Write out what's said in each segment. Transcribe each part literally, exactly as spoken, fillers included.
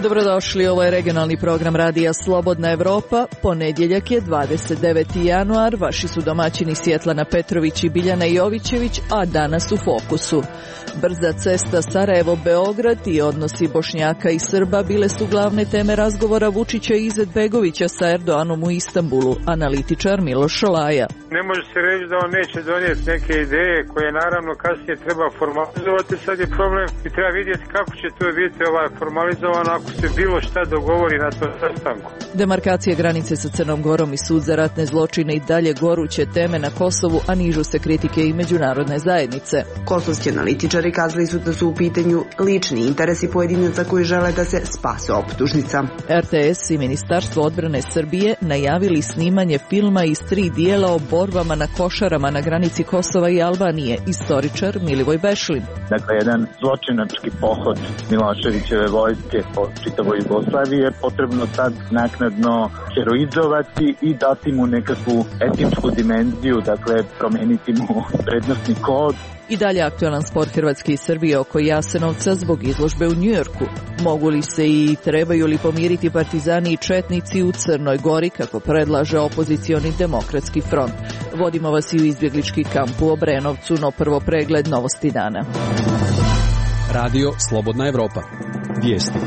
Dobrodošli, ovo je regionalni program Radija Slobodna Evropa. Ponedjeljak je dvadeset deveti januar, vaši su domaćini Svjetlana Petrović i Biljana Jovićević, a danas u fokusu. Brza cesta Sarajevo-Beograd i odnosi Bošnjaka i Srba bile su glavne teme razgovora Vučića i Izetbegovića sa Erdoganom u Istanbulu, analitičar Miloš Šolaja. Ne može se reći da on neće donijeti neke ideje koje naravno kasnije treba formalizovati, sad je problem i treba vidjeti kako će to biti ovaj formalizovano ako se bilo šta dogovori na tom sastanku. Demarkacija granice sa Crnom Gorom i sud za ratne zločine i dalje goruće teme na Kosovu, a nižu se kritike i međunarodne zajednice. Kosovski analitičari kazali su da su u pitanju lični interesi pojedinaca koji žele da se spase optužnica. R T S i Ministarstvo odbrane Srbije najavili snimanje filma iz tri dijela o borbama na Košarama na granici Kosova i Albanije, istoričar Milivoj Bešlin. Dakle, jedan zločinački pohod Miloševićeve vojske po čitavoj Jugoslaviji je potrebno sad naknadno heroizovati i dati mu nekakvu etičku dimenziju, dakle promeniti mu vrednostni kod. I dalje aktualan spor Hrvatske i Srbije oko Jasenovca zbog izložbe u Njujorku. Mogu li se i trebaju li pomiriti partizani i četnici u Crnoj Gori, kako predlaže opozicioni Demokratski front? Vodimo vas i u izbjeglički kamp u Obrenovcu, no prvo pregled novosti dana. Radio Slobodna Evropa. Vijesti.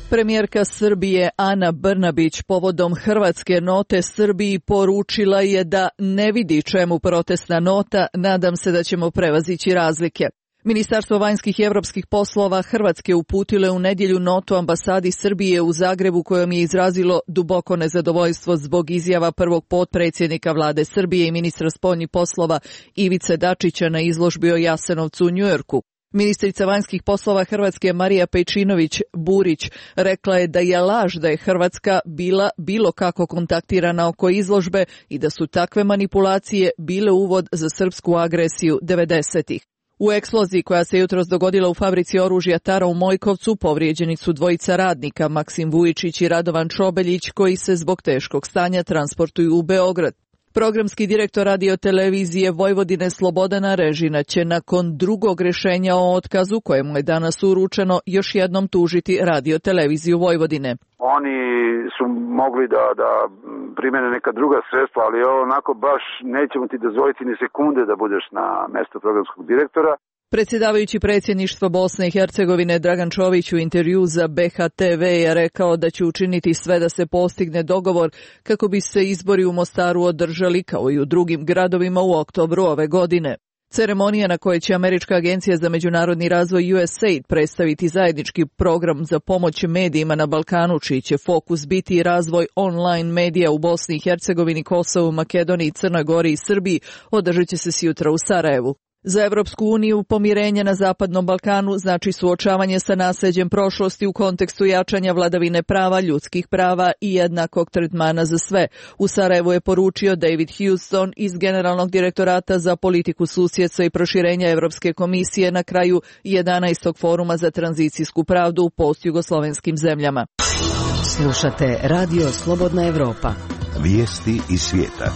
Premijerka Srbije Ana Brnabić povodom hrvatske note Srbiji poručila je da ne vidi čemu protestna nota, nadam se da ćemo prevazići razlike. Ministarstvo vanjskih i evropskih poslova Hrvatske uputilo u nedjelju notu ambasadi Srbije u Zagrebu kojom je izrazilo duboko nezadovoljstvo zbog izjava prvog potpredsjednika vlade Srbije i ministra spoljnih poslova Ivice Dačića na izložbi o Jasenovcu u Njujorku. Ministrica vanjskih poslova Hrvatske Marija Pejčinović-Burić rekla je da je laž da je Hrvatska bila bilo kako kontaktirana oko izložbe i da su takve manipulacije bile uvod za srpsku agresiju devedesetih. U eksploziji koja se jutros dogodila u fabrici oružja Tara u Mojkovcu povrijeđeni su dvojica radnika, Maksim Vujičić i Radovan Čobeljić, koji se zbog teškog stanja transportuju u Beograd. Programski direktor radiotelevizije Vojvodine Slobodan Arežina će nakon drugog rješenja o otkazu, kojemu je danas uručeno, još jednom tužiti radioteleviziju Vojvodine. Oni su mogli da, da primene neka druga sredstva, ali onako baš nećemo ti dozvoliti ni sekunde da budeš na mjestu programskog direktora. Predsjedavajući predsjedništva Bosne i Hercegovine Dragan Čović u intervju za B H T V je rekao da će učiniti sve da se postigne dogovor kako bi se izbori u Mostaru održali kao i u drugim gradovima u oktobru ove godine. Ceremonija na kojoj će Američka agencija za međunarodni razvoj U S A I D predstaviti zajednički program za pomoć medijima na Balkanu, čiji će fokus biti razvoj online medija u Bosni i Hercegovini, Kosovu, Makedoniji, Crnoj Gori i Srbiji, održat će se sjutra u Sarajevu. Za Evropsku uniju pomirenje na Zapadnom Balkanu znači suočavanje sa nasljeđem prošlosti u kontekstu jačanja vladavine prava, ljudskih prava i jednakog tretmana za sve. U Sarajevu je poručio David Houston iz Generalnog direktorata za politiku susjedstva i proširenja Evropske komisije na kraju jedanaestog foruma za tranzicijsku pravdu u postjugoslovenskim zemljama. Slušate Radio Slobodna Evropa. Vijesti iz svijeta.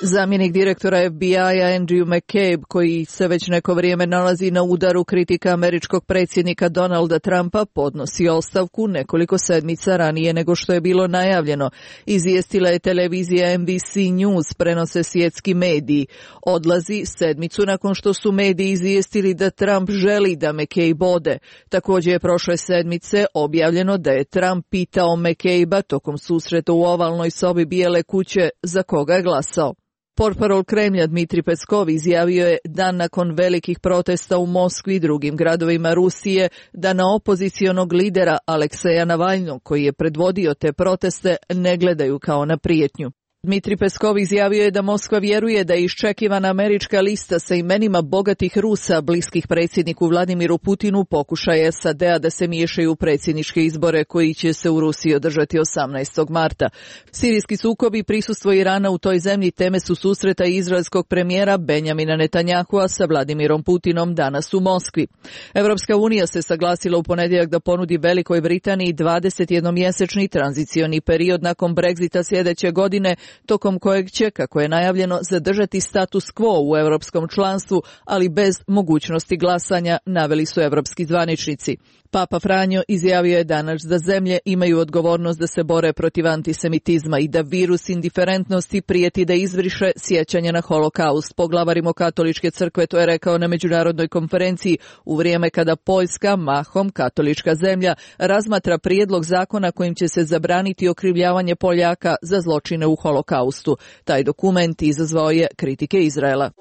Zamjenik direktora F B I-a Andrew McCabe, koji se već neko vrijeme nalazi na udaru kritika američkog predsjednika Donalda Trumpa, podnosi ostavku nekoliko sedmica ranije nego što je bilo najavljeno. Izvijestila je televizija N B C News, prenose svjetski mediji. Odlazi sedmicu nakon što su mediji izvijestili da Trump želi da McCabe ode. Također je prošle sedmice objavljeno da je Trump pitao McCabe-a tokom susreta u ovalnoj sobi Bijele kuće za koga je glasao. Portparol Kremlja Dmitri Peskov izjavio je dan nakon velikih protesta u Moskvi i drugim gradovima Rusije da na opozicionog lidera Alekseja Navalnog, koji je predvodio te proteste, ne gledaju kao na prijetnju. Dmitri Peskov izjavio je da Moskva vjeruje da je iščekivana američka lista sa imenima bogatih Rusa bliskih predsjedniku Vladimiru Putinu pokušaj S A D-a da se miješaju u predsjedničke izbore koji će se u Rusiji održati osamnaestog marta. Sirijski sukob i prisustvo Irana u toj zemlji teme su susreta izraelskog premijera Benjamina Netanyahua sa Vladimirom Putinom danas u Moskvi. Evropska unija se saglasila u ponedjeljak da ponudi Velikoj Britaniji dvadesetjednomjesečni tranzicioni period nakon Brexita sljedeće godine, tokom kojeg će, kako je najavljeno, zadržati status quo u europskom članstvu, ali bez mogućnosti glasanja, naveli su evropski zvaničnici. Papa Franjo izjavio je danas da zemlje imaju odgovornost da se bore protiv antisemitizma i da virus indiferentnosti prijeti da izbriše sjećanje na holokaust. Poglavar Rimokatoličke crkve to je rekao na međunarodnoj konferenciji u vrijeme kada Poljska, mahom katolička zemlja, razmatra prijedlog zakona kojim će se zabraniti okrivljavanje Poljaka za zločine u holokaustu. Taj dokument izazvao je kritike Izraela.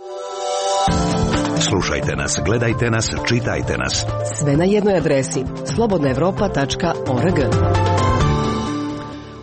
Slušajte nas, gledajte nas, čitajte nas. Sve na jednoj adresi slobodna evropa tačka org.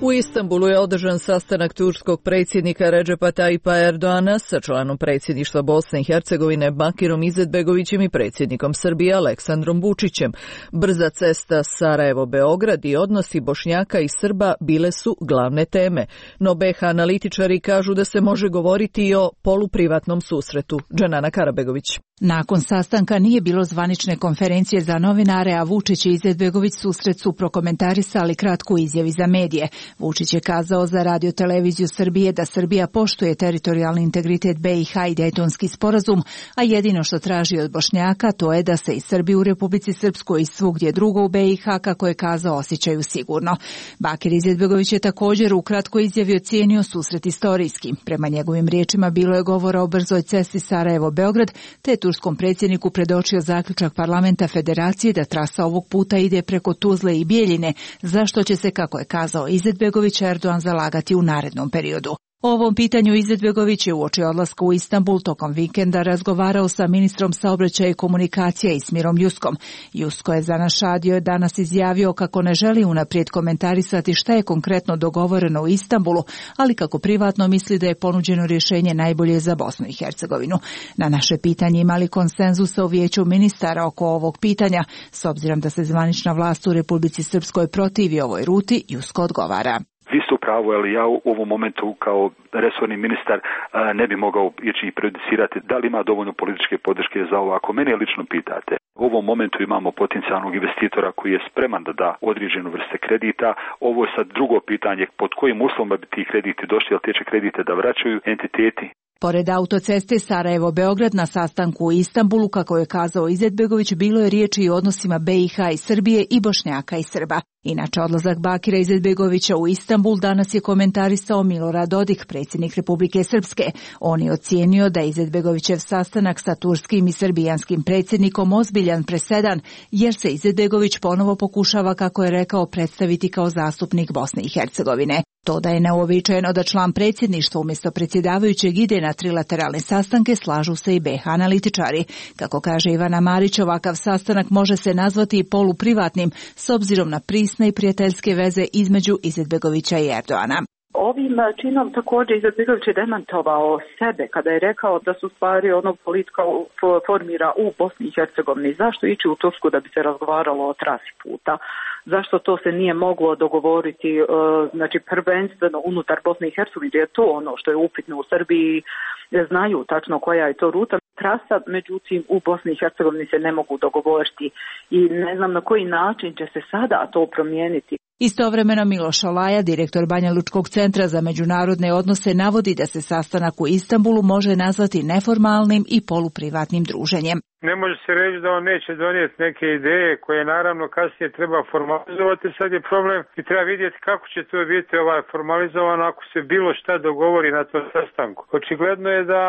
U Istanbulu je održan sastanak turskog predsjednika Redžepa Tayyipa Erdoana sa članom predsjedništva Bosne i Hercegovine Bakirom Izetbegovićem i predsjednikom Srbije Aleksandrom Vučićem. Brza cesta Sarajevo-Beograd i odnosi Bošnjaka i Srba bile su glavne teme, no B H analitičari kažu da se može govoriti i o poluprivatnom susretu. Dženana Karabegović. Nakon sastanka nije bilo zvanične konferencije za novinare, a Vučić i Izetbegović susret su prokomentarisali kratku izjavi za medije. Vučić je kazao za Radio televiziju Srbije da Srbija poštuje teritorijalni integritet B i H i Dejtonski sporazum, a jedino što traži od Bošnjaka to je da se i Srbi u Republici Srpskoj i svugdje drugo u B i H, kako je kazao, osjećaju sigurno. Bakir Izetbegović je također u kratkoj izjavi ocijenio susret istorijski. Prema njegovim riječima bilo je govora o brzoj cesti Sarajevo-Beograd, te turskom predsjedniku predočio zaključak parlamenta Federacije da trasa ovog puta ide preko Tuzle i Bijeljine, za što će se, kako je kazao Izetbegović, Erdogan zalagati u narednom periodu. O ovom pitanju Izetbegović je uoči odlaska u Istanbul tokom vikenda razgovarao sa ministrom saobraćaja i komunikacija Ismirom Juskom. Jusko je za naš radio danas izjavio kako ne želi unaprijed komentarisati šta je konkretno dogovoreno u Istanbulu, ali kako privatno misli da je ponuđeno rješenje najbolje za Bosnu i Hercegovinu. Na naše pitanje imali konsenzusa u vijeću ministara oko ovog pitanja, s obzirom da se zvanična vlast u Republici Srpskoj protivi ovoj ruti, Jusko odgovara. Vi ste u pravu, ali ja u ovom momentu kao resorni ministar ne bi mogao ići i prejudicirati da li ima dovoljno političke podrške za ovo. Ako mene lično pitate, u ovom momentu imamo potencijalnog investitora koji je spreman da da određenu vrste kredita. Ovo je sad drugo pitanje, pod kojim uslovima bi ti krediti došli, ali te će kredite da vraćaju entiteti. Pored autoceste Sarajevo-Beograd na sastanku u Istanbulu, kako je kazao Izetbegović, bilo je riječi i o odnosima B i H i Srbije i Bošnjaka i Srba. Inače, odlazak Bakira Izetbegovića u Istanbul danas je komentarisao Milorad Dodik, predsjednik Republike Srpske. On je ocijenio da je Izetbegovićev sastanak sa turskim i srbijanskim predsjednikom ozbiljan presedan, jer se Izetbegović ponovo pokušava, kako je rekao, predstaviti kao zastupnik Bosne i Hercegovine. To da je neuobičajeno da član predsjedništva umjesto predsjedavajućeg ide na trilateralne sastanke, slažu se i B H analitičari. Kako kaže Ivana Marić, ovakav sastanak može se nazvati i poluprivatnim, s obzirom na prisne i prijateljske veze između Izetbegovića i Erdoana. Ovim činom također Izetbegović je demantovao sebe kada je rekao da su stvari onog politika formira u Bosni i Hercegovini. Zašto ići u Tursku da bi se razgovaralo o trasi puta? Zašto to se nije moglo dogovoriti, znači prvenstveno unutar Bosne i Hercegovine, je to ono što je upitno u Srbiji, znaju tačno koja je to ruta. Trasa, međutim, u Bosni i Hercegovini se ne mogu dogovoriti i ne znam na koji način će se sada to promijeniti. Istovremeno Miloš Olaja, direktor Banja Lučkog centra za međunarodne odnose, navodi da se sastanak u Istanbulu može nazvati neformalnim i poluprivatnim druženjem. Ne može se reći da on neće donijeti neke ideje koje naravno kasnije treba formalizovati, sad je problem i treba vidjeti kako će to biti ovaj formalizovano ako se bilo šta dogovori na tom sastanku. Očigledno je da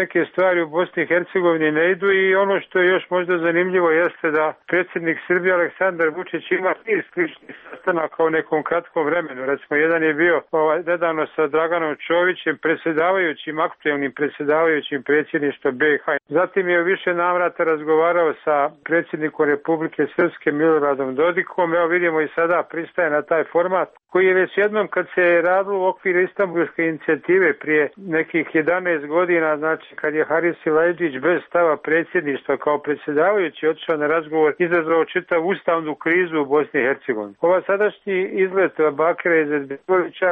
neke stvari u Bosni i Hercegovini ne idu i ono što je još možda zanimljivo jeste da predsjednik Srbije Aleksandar Vučić ima niz sličnih sastanaka u nekom kratkom vremenu. Recimo, jedan je bio ovaj, nedavno sa Draganom Čovićem, predsjedavajućim, aktuelnim predsjedavajućim predsjedništva B i H. Zatim je više navrata razgovarao sa predsjednikom Republike Srpske Miloradom Dodikom. Evo vidimo i sada pristaje na taj format koji je već jednom kad se je radilo u okviru Istanbulske inicijative prije nekih jedanaest godina, znači kad je Haris Silajdžić bez stava predsjedništva kao predsjedavajući otišao na razgovor, izazvao čitavu ustavnu krizu u Bosni i Hercegovini. Ova sadašnji izlet Bakira Izetbegovića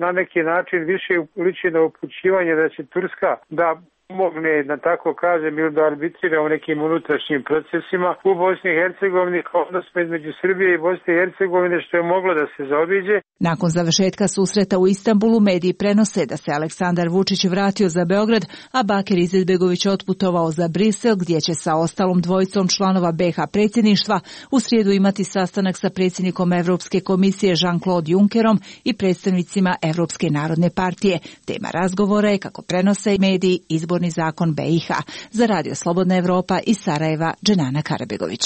na neki način više liči na upućivanje da će Turska da pomogne, da tako kažem, ili da arbitrira u nekim unutrašnjim procesima u Bosni i Hercegovini, odnosno između Srbije i Bosne i Hercegovine, što je moglo da se zaobiđe. Nakon završetka susreta u Istanbulu, mediji prenose da se Aleksandar Vučić vratio za Beograd, a Bakir Izetbegović otputovao za Brisel, gdje će sa ostalom dvojicom članova be ha predsjedništva u srijedu imati sastanak sa predsjednikom Evropske komisije Jean-Claude Junckerom i predstavnicima Evropske narodne partije. Tema razgovora je, kako prenose mediji, izborni zakon be i ha. Za Radio Slobodna Evropa iz Sarajeva, Dženana Karabegović.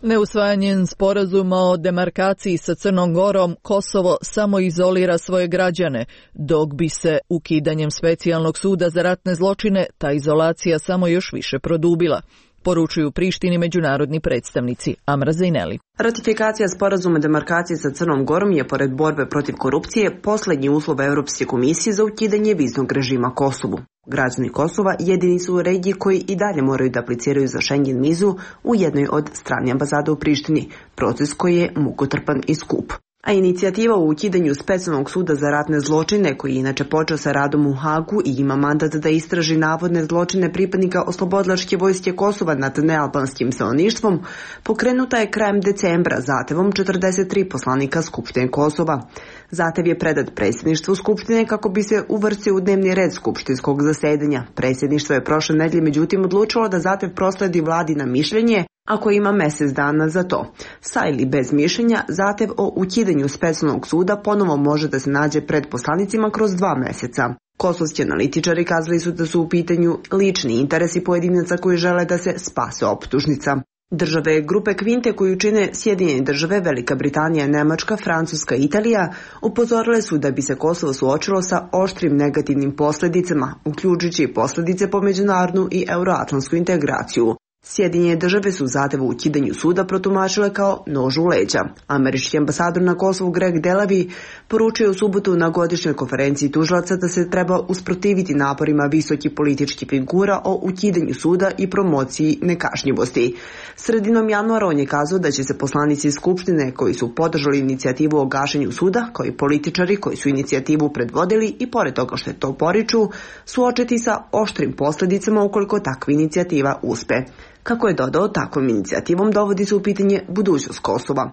Neusvajanjem sporazuma o demarkaciji sa Crnom Gorom, Kosovo samo izolira svoje građane, dok bi se ukidanjem specijalnog suda za ratne zločine ta izolacija samo još više produbila, poručuju Prištini međunarodni predstavnici. Amra Zejneli. Ratifikacija sporazuma demarkacije sa Crnom Gorom je, pored borbe protiv korupcije, posljednji uslov Europske komisije za ukidanje viznog režima Kosovu. Građani Kosova jedini su u regiji koji i dalje moraju da apliciraju za Schengen vizu u jednoj od stranih ambasada u Prištini, proces koji je mukotrpan i skup. A inicijativa o ukidanju specijalnog suda za ratne zločine, koji je inače počeo sa radom u Hagu i ima mandat da istraži navodne zločine pripadnika oslobodilačke vojske Kosova nad nealbanskim stanovništvom, pokrenuta je krajem decembra zahtevom četrdeset tri poslanika Skupštine Kosova. Zahtev je predat predsjedništvu Skupštine kako bi se uvrstio u dnevni red skupštinskog zasedanja. Predsjedništvo je prošle nedelje međutim odlučilo da zahtev prosledi vladi na mišljenje, ako ima mjesec dana za to. Sa ili bez mišljenja, zahtev o ukidanju specijalnog suda ponovo može da se nađe pred poslanicima kroz dva mjeseca. Kosovski analitičari kazali su da su u pitanju lični interesi pojedinaca koji žele da se spase optužnica. Države grupe Kvinte koju čine Sjedinjene države, Velika Britanija, Nemačka, Francuska i Italija upozorile su da bi se Kosovo suočilo sa oštrim negativnim posljedicama, uključujući i posljedice po međunarodnu i euroatlantsku integraciju. Sjedinjene države su zahtev u ukidanju suda protumačile kao nož u leđa. Američki ambasador na Kosovu Greg Delavi poručio u subotu na godišnjoj konferenciji tužilaca da se treba usprotiviti naporima visokih političkih figura o ukidanju suda i promociji nekažnjivosti. Sredinom januara on je kazao da će se poslanici Skupštine koji su podržali inicijativu o gašenju suda, kao i političari koji su inicijativu predvodili i pored toga što je to poriču, suočiti sa oštrim posljedicama ukoliko takva inicijativa uspe. Kako je dodao, takvom inicijativom dovodi se u pitanje budućnost Kosova.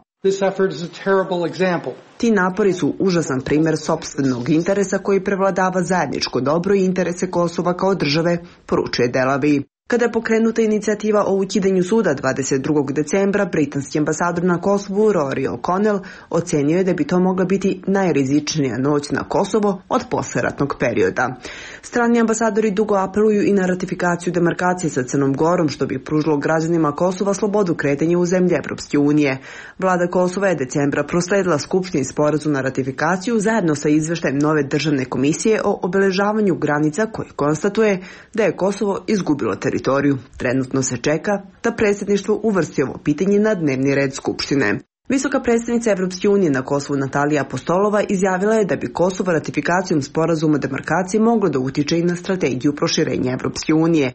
Ti napori su užasan primjer sopstvenog interesa koji prevladava zajedničko dobro i interese Kosova kao države, poručuje Delavi. Kada je pokrenuta inicijativa o ukidanju suda dvadeset drugog decembra, britanski ambasador na Kosovu Rory O'Connell ocenio je da bi to mogla biti najrizičnija noć na Kosovo od posleratnog perioda. Strani ambasadori dugo apeluju i na ratifikaciju demarkacije sa Crnom Gorom, što bi pružilo građanima Kosova slobodu kretanja u zemlje Evropske unije. Vlada Kosova je decembra prosledila Skupštini sporazum na ratifikaciju zajedno sa izveštajem nove državne komisije o obeležavanju granica koji konstatuje da je Kosovo izgubilo teritoriju. Trenutno se čeka da predsjedništvo uvrsti ovo pitanje na dnevni red Skupštine. Visoka predstavnica Evropske unije na Kosovu Natalija Apostolova izjavila je da bi Kosovo ratifikacijom sporazuma o demarkaciji moglo da utiče i na strategiju proširenja Evropske unije.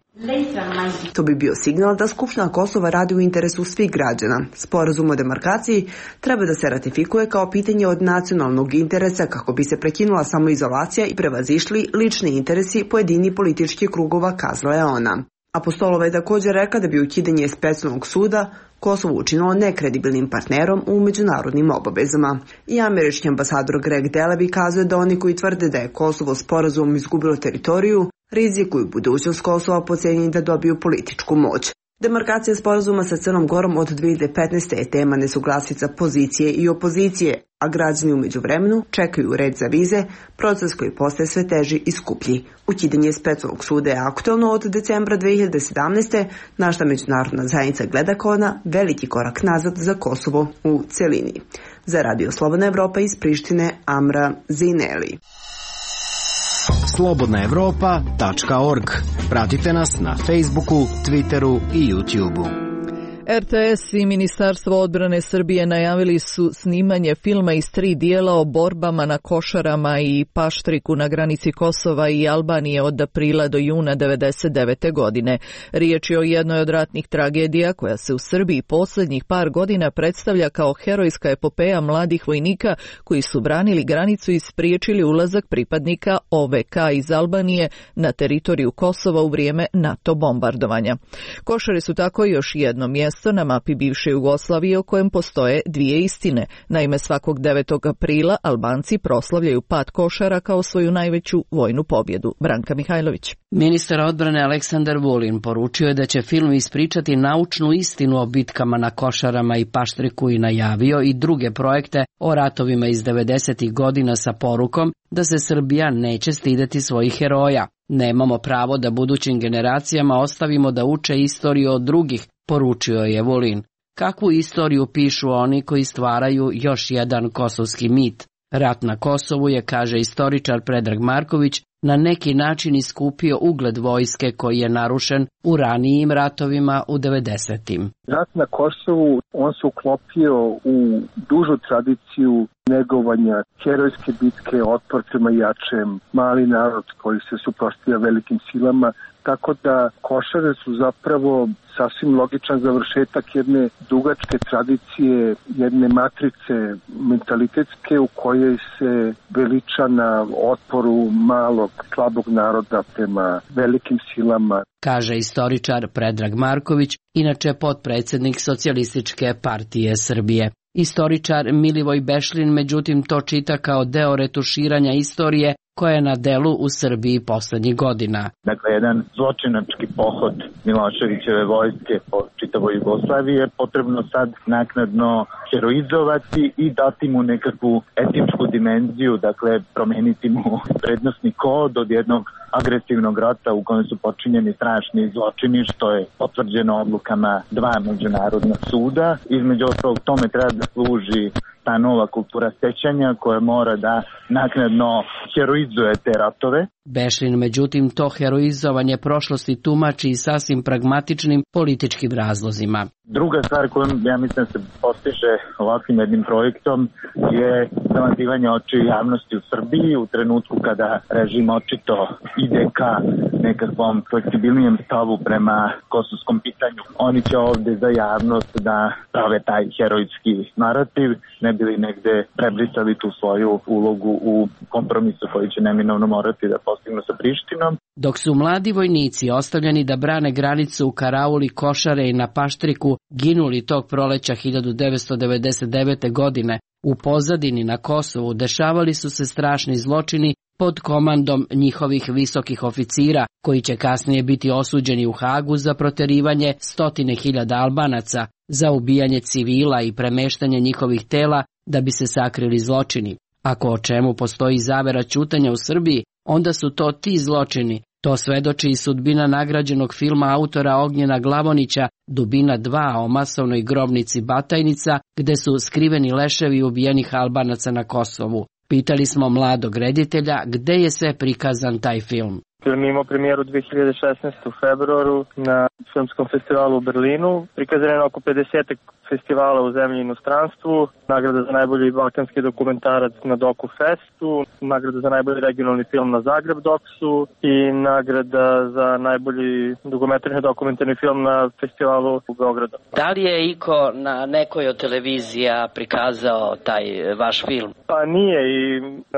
To bi bio signal da Skupština Kosova radi u interesu svih građana. Sporazum o demarkaciji treba da se ratifikuje kao pitanje od nacionalnog interesa kako bi se prekinula samoizolacija i prevazišli lični interesi pojedini političkih krugova, kazala je ona. Apostolova je također rekla da bi ukidanje specijalnog suda Kosovo učinilo nekredibilnim partnerom u međunarodnim obavezama. I američki ambasador Greg Delavi kazuje da oni koji tvrde da je Kosovo sporazumom izgubilo teritoriju, rizikuju budućnost Kosova po cijeni da dobiju političku moć. Demarkacija sporazuma sa Crnom Gorom od dvije hiljade petnaeste. je tema nesuglasica pozicije i opozicije, a građani u međuvremenu čekaju red za vize, proces koji postaje sve teži i skuplji. Ukidanje specijalnog suda je aktualno od decembra dvije hiljade sedamnaeste. na šta međunarodna zajednica gleda kao na veliki korak nazad za Kosovo u celini. Za Radio Slobodna Evropa iz Prištine, Amra Zejneli. slobodna evropa tačka org. Pratite nas na Facebooku, Twitteru i YouTubeu. er te es i Ministarstvo odbrane Srbije najavili su snimanje filma iz tri dijela o borbama na Košarama i Paštriku na granici Kosova i Albanije od aprila do juna devedeset devete. godine. Riječ je o jednoj od ratnih tragedija koja se u Srbiji posljednjih par godina predstavlja kao herojska epopeja mladih vojnika koji su branili granicu i spriječili ulazak pripadnika o ve ka iz Albanije na teritoriju Kosova u vrijeme NATO bombardovanja. Košare su tako još jedno mjesto na mapi bivše Jugoslavije o kojem postoje dvije istine. Naime, svakog devetog aprila Albanci proslavljaju pad Košara kao svoju najveću vojnu pobjedu. Branka Mihajlović. Ministar odbrane Aleksandar Vulin poručio je da će film ispričati naučnu istinu o bitkama na Košarama i Paštriku i najavio i druge projekte o ratovima iz devedesetih godina sa porukom da se Srbija neće stideti svojih heroja. Nemamo pravo da budućim generacijama ostavimo da uče istoriju od drugih, poručio je Vulin. Kakvu istoriju pišu oni koji stvaraju još jedan kosovski mit? Rat na Kosovu je, kaže istoričar Predrag Marković, na neki način iskupio ugled vojske koji je narušen u ranijim ratovima u devedesetim. Rat na Kosovu, on se uklopio u dužu tradiciju negovanja herojske bitke, otpor prema jačem, mali narod koji se suprotstavlja velikim silama, tako da Košare su zapravo sasvim logičan završetak jedne dugačke tradicije, jedne matrice mentalitetske u kojoj se veliča na otporu malog, slabog naroda prema velikim silama. Kaže istoričar Predrag Marković, inače potpredsjednik Socijalističke partije Srbije. Istoričar Milivoj Bešlin međutim to čita kao deo retuširanja istorije koja je na delu u Srbiji posljednjih godina. Dakle, jedan zločinački pohod Miloševićeve vojske po čitavoj Jugoslaviji je potrebno sad naknadno heroizovati i dati mu nekakvu etičku dimenziju, dakle promeniti mu prednosni kod od jednog agresivnog rata u kojem su počinjeni strašni zločini, što je potvrđeno odlukama dva međunarodna suda. Između ostalog tome treba da služi ta nova kultura sećanja koja mora da naknadno heroizuje te ratove. Bešlin međutim to heroizovanje prošlosti tumači i sasvim pragmatičnim političkim razlozima. Druga stvar koju ja mislim se postiže ovakvim jednim projektom je zamazivanje očiju javnosti u Srbiji u trenutku kada režim očito ide ka nekakvom fleksibilnijem stavu prema kosovskom pitanju. Oni će ovde za javnost da prave taj herojski narativ, ne bi li negde prebrisali tu svoju ulogu u kompromisu koji će neminovno morati da postignu sa Prištinom. Dok su mladi vojnici ostavljeni da brane granicu u karauli Košare i na Paštriku ginuli tog proleća hiljadu devetsto devedeset devete. godine, u pozadini na Kosovu dešavali su se strašni zločini pod komandom njihovih visokih oficira, koji će kasnije biti osuđeni u Hagu za proterivanje stotine hiljada Albanaca, za ubijanje civila i premeštanje njihovih tela da bi se sakrili zločini. Ako o čemu postoji zavera ćutanja u Srbiji, onda su to ti zločini. To svedoči i sudbina nagrađenog filma autora Ognjena Glavonića Dubina dva o masovnoj grobnici Batajnica, gde su skriveni leševi ubijenih Albanaca na Kosovu. Pitali smo mladog reditelja gde je sve prikazan taj film. Film imao premijeru dve hiljade šesnaeste. u februaru na filmskom festivalu u Berlinu. Prikazan je na oko pedeset festivala u zemlji i inostranstvu. Nagrada za najbolji balkanski dokumentarac na Doku Festu, nagrada za najbolji regionalni film na Zagreb Doksu i nagrada za najbolji dokumentarni dokumentarni film na festivalu u Beogradu. Da li je iko na nekoj od televizija prikazao taj vaš film? Pa nije, i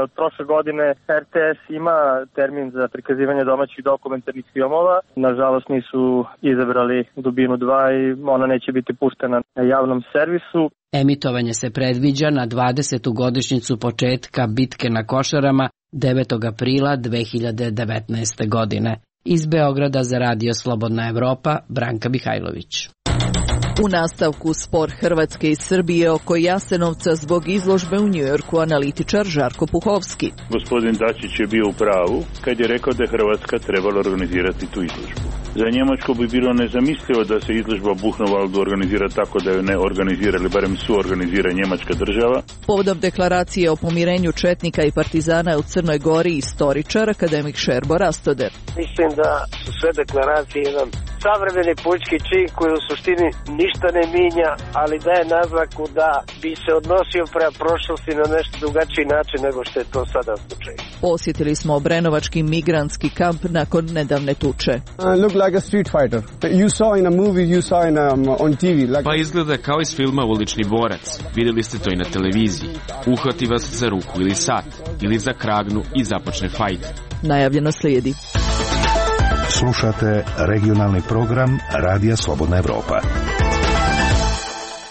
od prošle godine er te es ima termin za prikazivanje domaćih dokumentarnih filmova. Nažalost nisu izabrali Dubinu dva i ona neće biti puštena na javnom servisu. Emitovanje se predviđa na dvadesetu godišnjicu početka bitke na Košarama devetog aprila dve hiljade devetnaeste. godine. Iz Beograda za Radio Slobodna Evropa, Branka Mihajlović. U nastavku spor Hrvatske i Srbije oko Jasenovca zbog izložbe u Njujorku, analitičar Žarko Puhovski. Gospodin Dačić je bio u pravu kad je rekao da je Hrvatska trebala organizirati tu izložbu. Za Njemačku bi bilo nezamislivo da se izložba Buchenwaldu organizira tako da ju ne organizira, ili barem suorganizira njemačka država. Povodom deklaracije o pomirenju četnika i partizana u Crnoj Gori, istoričar, akademik Šerbo Rastoder. Mislim da su sve deklaracije jedan savremeni politički čin koji u suštini ništa ne minja, ali daje naznaku da bi se odnosio prema prošlosti na nešto drugačiji način nego što je to sada slučaj. Posjetili smo Obrenovački migrantski kamp nakon nedavne tuče. Pa izgleda kao iz filma Ulični borac. Vidjeli ste to i na televiziji. Uhvati vas za ruku ili sat, ili za kragnu i započne fajt. Najavljeno slijedi. Slušate regionalni program Radija Slobodna Evropa.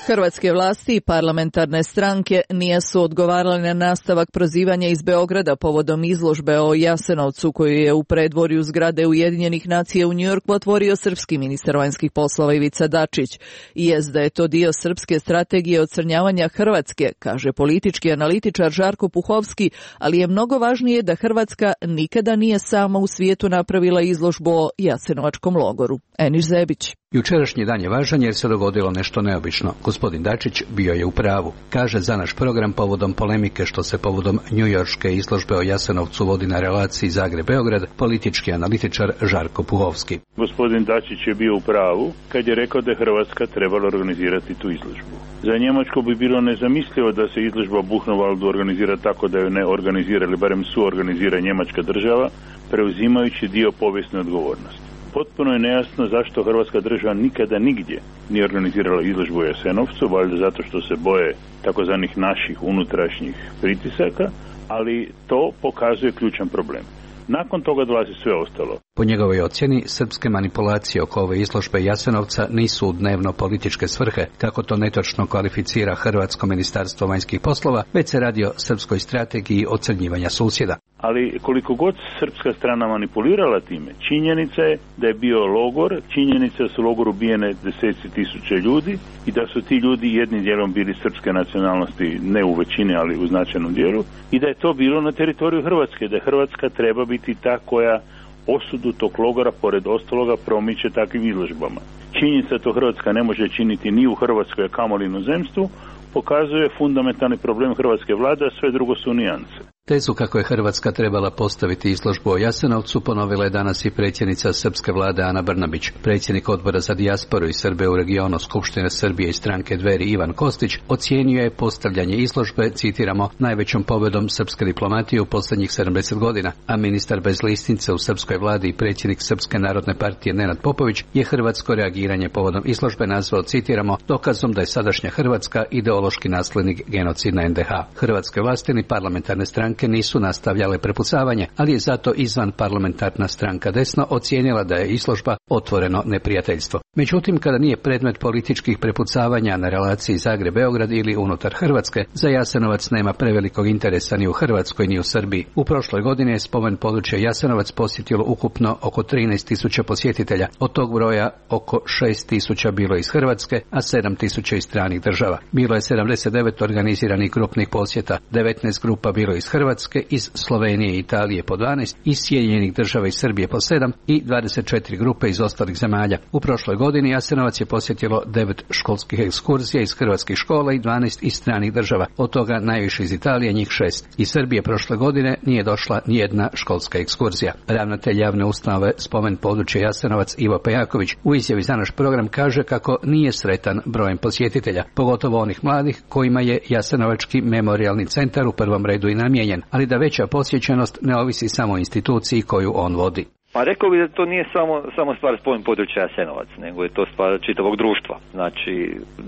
Hrvatske vlasti i parlamentarne stranke nisu odgovarale na nastavak prozivanja iz Beograda povodom izložbe o Jasenovcu koju je u predvorju zgrade Ujedinjenih nacija u Njujorku otvorio srpski ministar vanjskih poslova Ivica Dačić. I jest da je to dio srpske strategije ocrnjavanja Hrvatske, kaže politički analitičar Žarko Puhovski, ali je mnogo važnije da Hrvatska nikada nije sama u svijetu napravila izložbu o Jasenovačkom logoru. Eniš Zebić. Jučerašnji dan je važan jer se dogodilo nešto neobično. Gospodin Dačić bio je u pravu. Kaže za naš program povodom polemike što se povodom njujorške izložbe o Jasenovcu vodi na relaciji Zagreb-Beograd, politički analitičar Žarko Puhovski. Gospodin Dačić je bio u pravu kad je rekao da je Hrvatska trebala organizirati tu izložbu. Za Njemačku bi bilo nezamislivo da se izložba Buchenwaldu organizira tako da ju ne organizira ili barem suorganizira njemačka država, preuzimajući dio povijesne odgovornosti. Potpuno je nejasno zašto Hrvatska država nikada nigdje nije organizirala izložbu u Jasenovcu, valjda zato što se boje takozvanih naših unutrašnjih pritisaka, ali to pokazuje ključan problem. Nakon toga dolazi sve ostalo. Po njegovoj ocjeni, srpske manipulacije oko ove izložbe Jasenovca nisu u dnevno političke svrhe, kako to netočno kvalificira Hrvatsko ministarstvo vanjskih poslova, već se radi o srpskoj strategiji ocrnjivanja susjeda. Ali koliko god srpska strana manipulirala time, činjenica je da je bio logor, činjenica da su u logoru ubijene deseci tisuća ljudi i da su ti ljudi jednim dijelom bili srpske nacionalnosti, ne u većini, ali u značajnom dijelu, i da je to bilo na teritoriju Hrvatske, da Hrvatska treba biti ta koja osudu tog logora, pored ostaloga, promiče takvim izložbama. Činjenica da to Hrvatska ne može činiti ni u Hrvatskoj, a kamoli inozemstvu, pokazuje fundamentalni problem hrvatske vlade, a sve drugo su nijance. Tezu kako je Hrvatska trebala postaviti izložbu o Jasenovcu ponovila je danas i predsjednica srpske vlade Ana Brnabić. Predsjednik odbora za dijasporu i Srbe u regionu Skupštine Srbije i stranke Dveri Ivan Kostić ocijenio je postavljanje izložbe, citiramo, najvećom pobjedom srpske diplomatije u posljednjih sedamdeset godina, a ministar bez listince u srpskoj vladi i predsjednik Srpske narodne partije Nenad Popović je hrvatsko reagiranje povodom izložbe nazvao, citiramo, dokazom da je sadašnja Hrvatska ideološki naslednik genocidna en de ha. Hrvatske vlasti ni parlamentarne stranke nisu nastavljale prepucavanje, ali je zato izvan parlamentarna stranka Desno ocijenila da je izložba otvoreno neprijateljstvo. Međutim, kada nije predmet političkih prepucavanja na relaciji Zagreb-Beograd ili unutar Hrvatske, za Jasenovac nema prevelikog interesa ni u Hrvatskoj ni u Srbiji. U prošloj godini je spomen područja Jasenovac posjetilo ukupno oko trinaest tisuća posjetitelja. Od tog broja oko šest tisuća bilo iz Hrvatske, a sedam tisuća iz stranih država. Bilo je sedamdeset devet organiziranih grupnih posjeta, devetnaest grupa bilo iz Hrvatske, iz Slovenije i Italije po dvanaest, iz Sjedinjenih država i Srbije po sedam i dvadeset četiri grupe iz ostalih zemalja. U prošloj godini Jasenovac je posjetilo devet školskih ekskurzija iz hrvatskih škola i dvanaest iz stranih država, od toga najviše iz Italije, njih šest. Iz Srbije prošle godine nije došla nijedna školska ekskurzija. Ravnatelj javne ustanove Spomen područja Jasenovac Ivo Pejaković u izjavi za naš program kaže kako nije sretan brojem posjetitelja, pogotovo onih mladih kojima je Jasenovački memorijalni centar u prvom redu i namijenjen, ali da veća posjećenost ne ovisi samo o instituciji koju on vodi. Pa rekao bih da to nije samo, samo stvar Spomen područja Jasenovac, nego je to stvar čitavog društva. Znači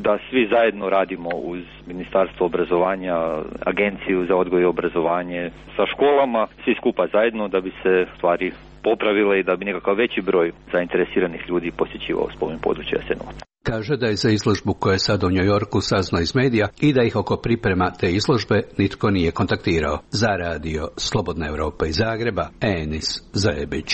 da svi zajedno radimo uz Ministarstvo obrazovanja, Agenciju za odgoj i obrazovanje, sa školama, svi skupa zajedno da bi se stvari popravile i da bi nekakav veći broj zainteresiranih ljudi posjećivao Spomen područja Jasenovac. Kaže da je za izložbu koja je sad u New Yorku saznao iz medija i da ih oko priprema te izložbe nitko nije kontaktirao. Za radio Slobodna Evropa iz Zagreba, Enis Zajebić.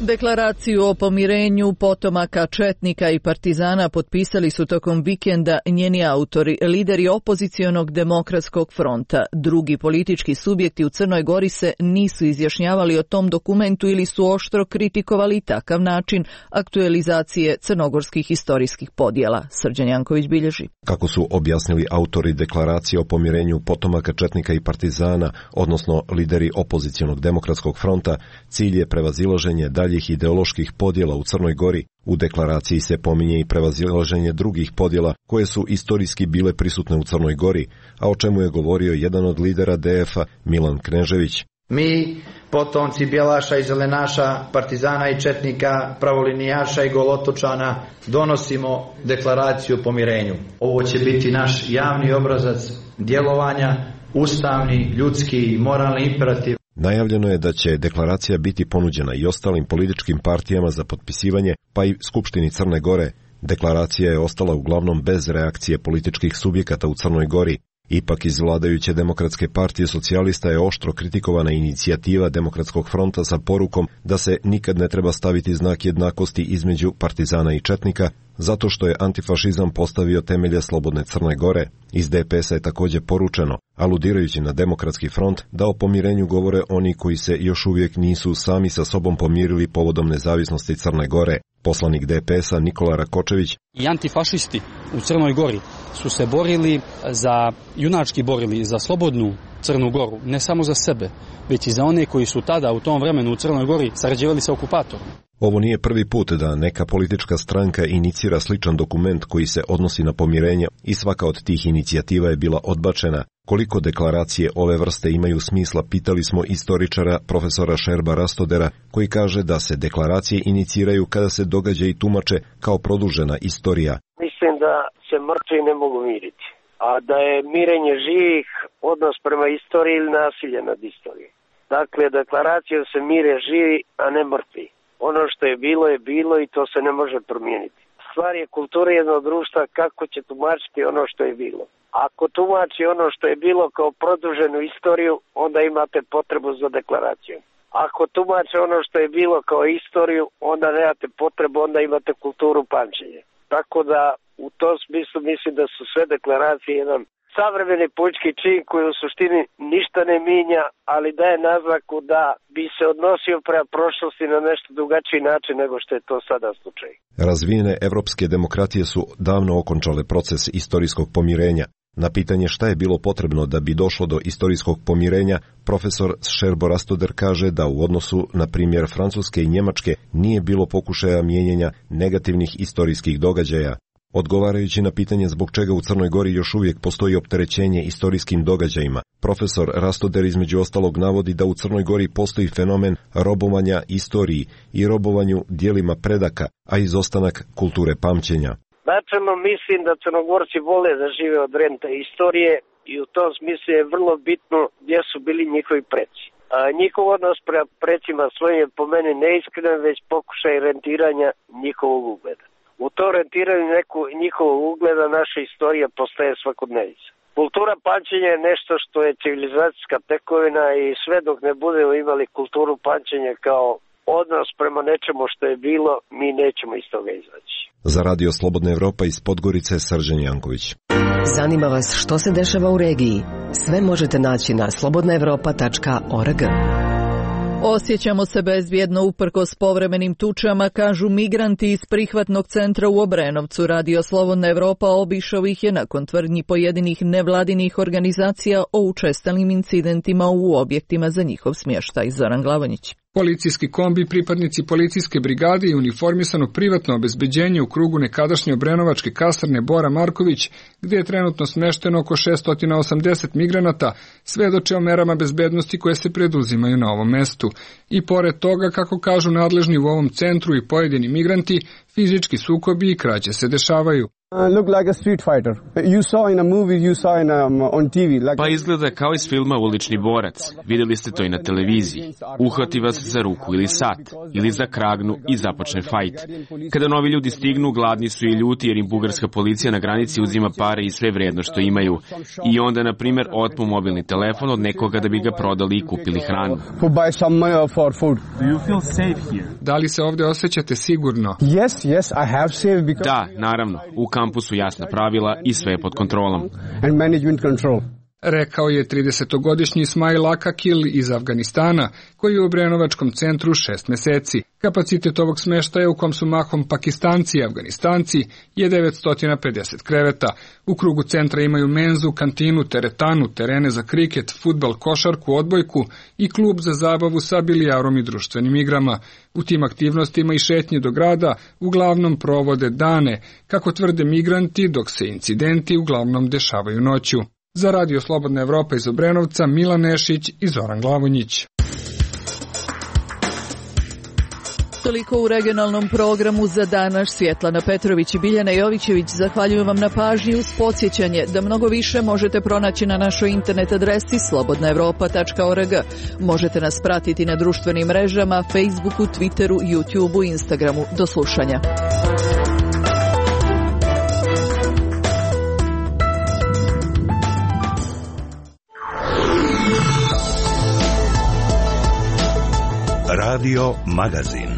Deklaraciju o pomirenju potomaka četnika i partizana potpisali su tokom vikenda njeni autori, lideri opozicionog demokratskog fronta. Drugi politički subjekti u Crnoj Gori se nisu izjašnjavali o tom dokumentu ili su oštro kritikovali takav način aktualizacije crnogorskih historijskih podjela. Srđan Janković bilježi. Kako su objasnili autori deklaracije o pomirenju potomaka četnika i partizana, odnosno lideri opozicionog demokratskog fronta, cilj je prevazilaženje dalje daljih ideoloških podjela u Crnoj Gori. U deklaraciji se pominje i prevazilaženje drugih podjela koje su istorijski bile prisutne u Crnoj Gori, a o čemu je govorio jedan od lidera D F-a, Milan Knežević. Mi, potomci Bjelaša i Zelenaša, partizana i četnika, pravolinijaša i golotočana, donosimo deklaraciju o pomirenju. Ovo će biti naš javni obrazac djelovanja, ustavni, ljudski i moralni imperativ. Najavljeno je da će deklaracija biti ponuđena i ostalim političkim partijama za potpisivanje, pa i Skupštini Crne Gore. Deklaracija je ostala uglavnom bez reakcije političkih subjekata u Crnoj Gori. Ipak iz vladajuće Demokratske partije socijalista je oštro kritikovana inicijativa Demokratskog fronta sa porukom da se nikad ne treba staviti znak jednakosti između partizana i četnika, zato što je antifašizam postavio temelje slobodne Crne Gore. Iz D P S-a je također poručeno, aludirajući na Demokratski front, da o pomirenju govore oni koji se još uvijek nisu sami sa sobom pomirili povodom nezavisnosti Crne Gore. Poslanik D P S-a Nikola Rakočević: I antifašisti u Crnoj Gori su se borili za, junački borili za slobodnu Crnu Goru, ne samo za sebe, već i za one koji su tada u tom vremenu u Crnoj Gori sarađivali sa okupatorom. Ovo nije prvi put da neka politička stranka inicira sličan dokument koji se odnosi na pomirenje i svaka od tih inicijativa je bila odbačena. Koliko deklaracije ove vrste imaju smisla, pitali smo istoričara profesora Šerba Rastodera, koji kaže da se deklaracije iniciraju kada se događaji tumače kao produžena istorija. Mislim da se mrtvi ne mogu miriti, a da je mirenje živih odnos prema istoriji ili nasilje nad istorijom. Dakle, deklaracijom se mire živi, a ne mrtvi. Ono što je bilo je bilo i to se ne može promijeniti. Stvar je kulture jednog društva kako će tumačiti ono što je bilo. Ako tumači ono što je bilo kao produženu istoriju, onda imate potrebu za deklaracijom. Ako tumače ono što je bilo kao istoriju, onda nemate potrebu, onda imate kulturu pamćenja. Tako da u tom smislu mislim da su sve deklaracije jedan savremeni politički čin koji u suštini ništa ne mijenja, ali daje naznaku da bi se odnosio prema prošlosti na nešto drugačiji način nego što je to sada slučaj. Razvijene evropske demokratije su davno okončale proces istorijskog pomirenja. Na pitanje šta je bilo potrebno da bi došlo do istorijskog pomirenja, profesor Šerbo Rastoder kaže da u odnosu na primjer Francuske i Njemačke nije bilo pokušaja mijenjanja negativnih istorijskih događaja. Odgovarajući na pitanje zbog čega u Crnoj Gori još uvijek postoji opterećenje istorijskim događajima, profesor Rastoder između ostalog navodi da u Crnoj Gori postoji fenomen robovanja istoriji i robovanju dijelima predaka, a izostanak kulture pamćenja. Načelno mislim da Crnogorci vole da žive od rente istorije i u tom smislu je vrlo bitno gdje su bili njihovi preci. A njihov odnos prema precima svojim je po meni neiskren, već pokušaj rentiranja njihovog ugleda. U to rentiranju neku njihovog ugleda naša istorija postaje svakodnevica. Kultura pamćenja je nešto što je civilizacijska tekovina i sve dok ne budemo imali kulturu pamćenja kao odnos prema nečemu što je bilo, mi nećemo iz toga izaći. Za Radio Slobodna Evropa iz Podgorice, Srđan Janković. Zanima vas što se dešava u regiji? Sve možete naći na slobodna evropa tačka org. Osjećamo se bezbjedno uprkos povremenim tučama, kažu migranti iz prihvatnog centra u Obrenovcu. Radio Slobodna Evropa obišao ih je nakon tvrdnji pojedinih nevladinih organizacija o učestalim incidentima u objektima za njihov smještaj. Zoran Glavonjić. Policijski kombi, pripadnici policijske brigade i uniformisano privatno obezbeđenje u krugu nekadašnje obrenovačke kasarne Bora Marković, gdje je trenutno smješteno oko šesto osamdeset migranata, svedoče o merama bezbednosti koje se preduzimaju na ovom mestu. I pored toga, kako kažu nadležni u ovom centru i pojedini migranti, fizički sukobi i krađe se dešavaju. Pa izgleda kao iz filma Ulični borac. Vidjeli ste to i na televiziji. Uhvati vas za ruku ili sat, ili za kragnu i započne fajt. Kada novi ljudi stignu, gladni su i ljuti jer im bugarska policija na granici uzima pare i sve vrijedno što imaju. I onda, na primjer, otmu mobilni telefon od nekoga da bi ga prodali i kupili hranu. Da li se ovdje osjećate sigurno? Da, naravno. U kampu su jasna pravila i sve je pod kontrolom. rekao je tridesetogodišnji Ismail Akakil iz Afganistana, koji je u Obrenovačkom centru šest meseci. Kapacitet ovog smeštaja, u kom su mahom Pakistanci i Afganistanci, je devetsto pedeset kreveta. U krugu centra imaju menzu, kantinu, teretanu, terene za kriket, fudbal, košarku, odbojku i klub za zabavu sa bilijarom i društvenim igrama. U tim aktivnostima i šetnje do grada uglavnom provode dane, kako tvrde migranti, dok se incidenti uglavnom dešavaju noću. Za Radio Slobodna Evropa iz Obrenovca, Milan Nešić i Zoran Glavonjić. Toliko u regionalnom programu za danas. Svjetlana Petrović i Biljana Jovićević zahvaljujem vam na pažnji uz podsjećanje da mnogo više možete pronaći na našoj internet adresi slobodna evropa tačka org. Možete nas pratiti na društvenim mrežama, Facebooku, Twitteru, YouTubeu i Instagramu. Do slušanja. Radio Magazin.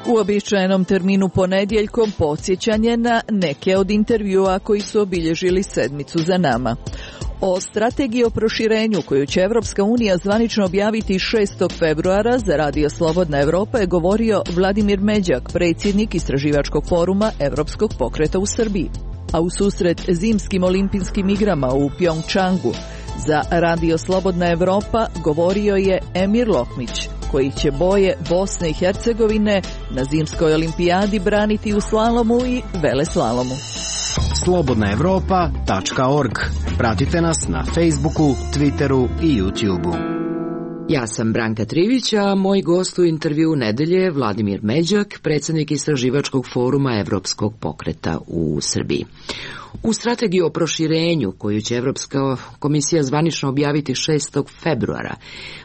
U običajenom terminu ponedjeljkom podsjećanje na neke od intervjua koji su obilježili sedmicu za nama. O strategiji o proširenju koju će Evropska unija zvanično objaviti šestog februara za Radio Slobodna Evropa je govorio Vladimir Međak, predsjednik Istraživačkog foruma Evropskog pokreta u Srbiji. A u susret zimskim olimpijskim igrama u Pjongčangu za Radio Slobodna Evropa govorio je Emir Lokmić, koji će boje Bosne i Hercegovine na zimskoj olimpijadi braniti u slalomu i veleslalomu. slobodna evropa tačka org. Pratite nas na Facebooku, Twitteru i YouTubeu. Ja sam Branka Trivić, a moj gost u intervju nedelje je Vladimir Međak, predsjednik Istraživačkog foruma Evropskog pokreta u Srbiji. U strategiji o proširenju, koju će Evropska komisija zvanično objaviti šestog februara,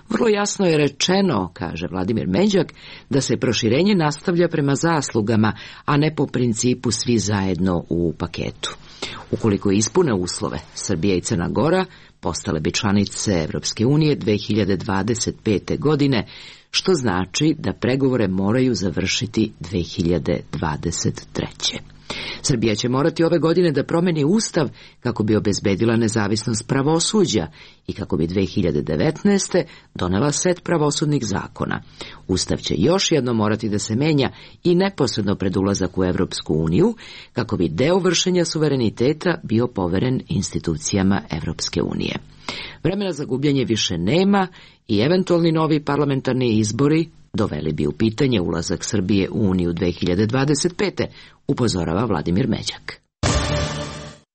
vrlo jasno je rečeno, kaže Vladimir Međak, da se proširenje nastavlja prema zaslugama, a ne po principu svi zajedno u paketu. Ukoliko ispune uslove, Srbija i Crna Gora postale bi članice Evropske unije dve hiljade dvadeset pete. godine, što znači da pregovore moraju završiti dve hiljade dvadeset treće. Srbija će morati ove godine da promeni ustav kako bi obezbedila nezavisnost pravosuđa i kako bi dve hiljade devetnaeste. donela set pravosudnih zakona. Ustav će još jedno morati da se menja i neposredno pred ulazak u Evropsku uniju kako bi deo vršenja suvereniteta bio poveren institucijama Evropske unije. Vremena za gubljenje više nema i eventualni novi parlamentarni izbori doveli bi u pitanje ulazak Srbije u Uniju dve hiljade dvadeset pete. upozorava Vladimir Međak.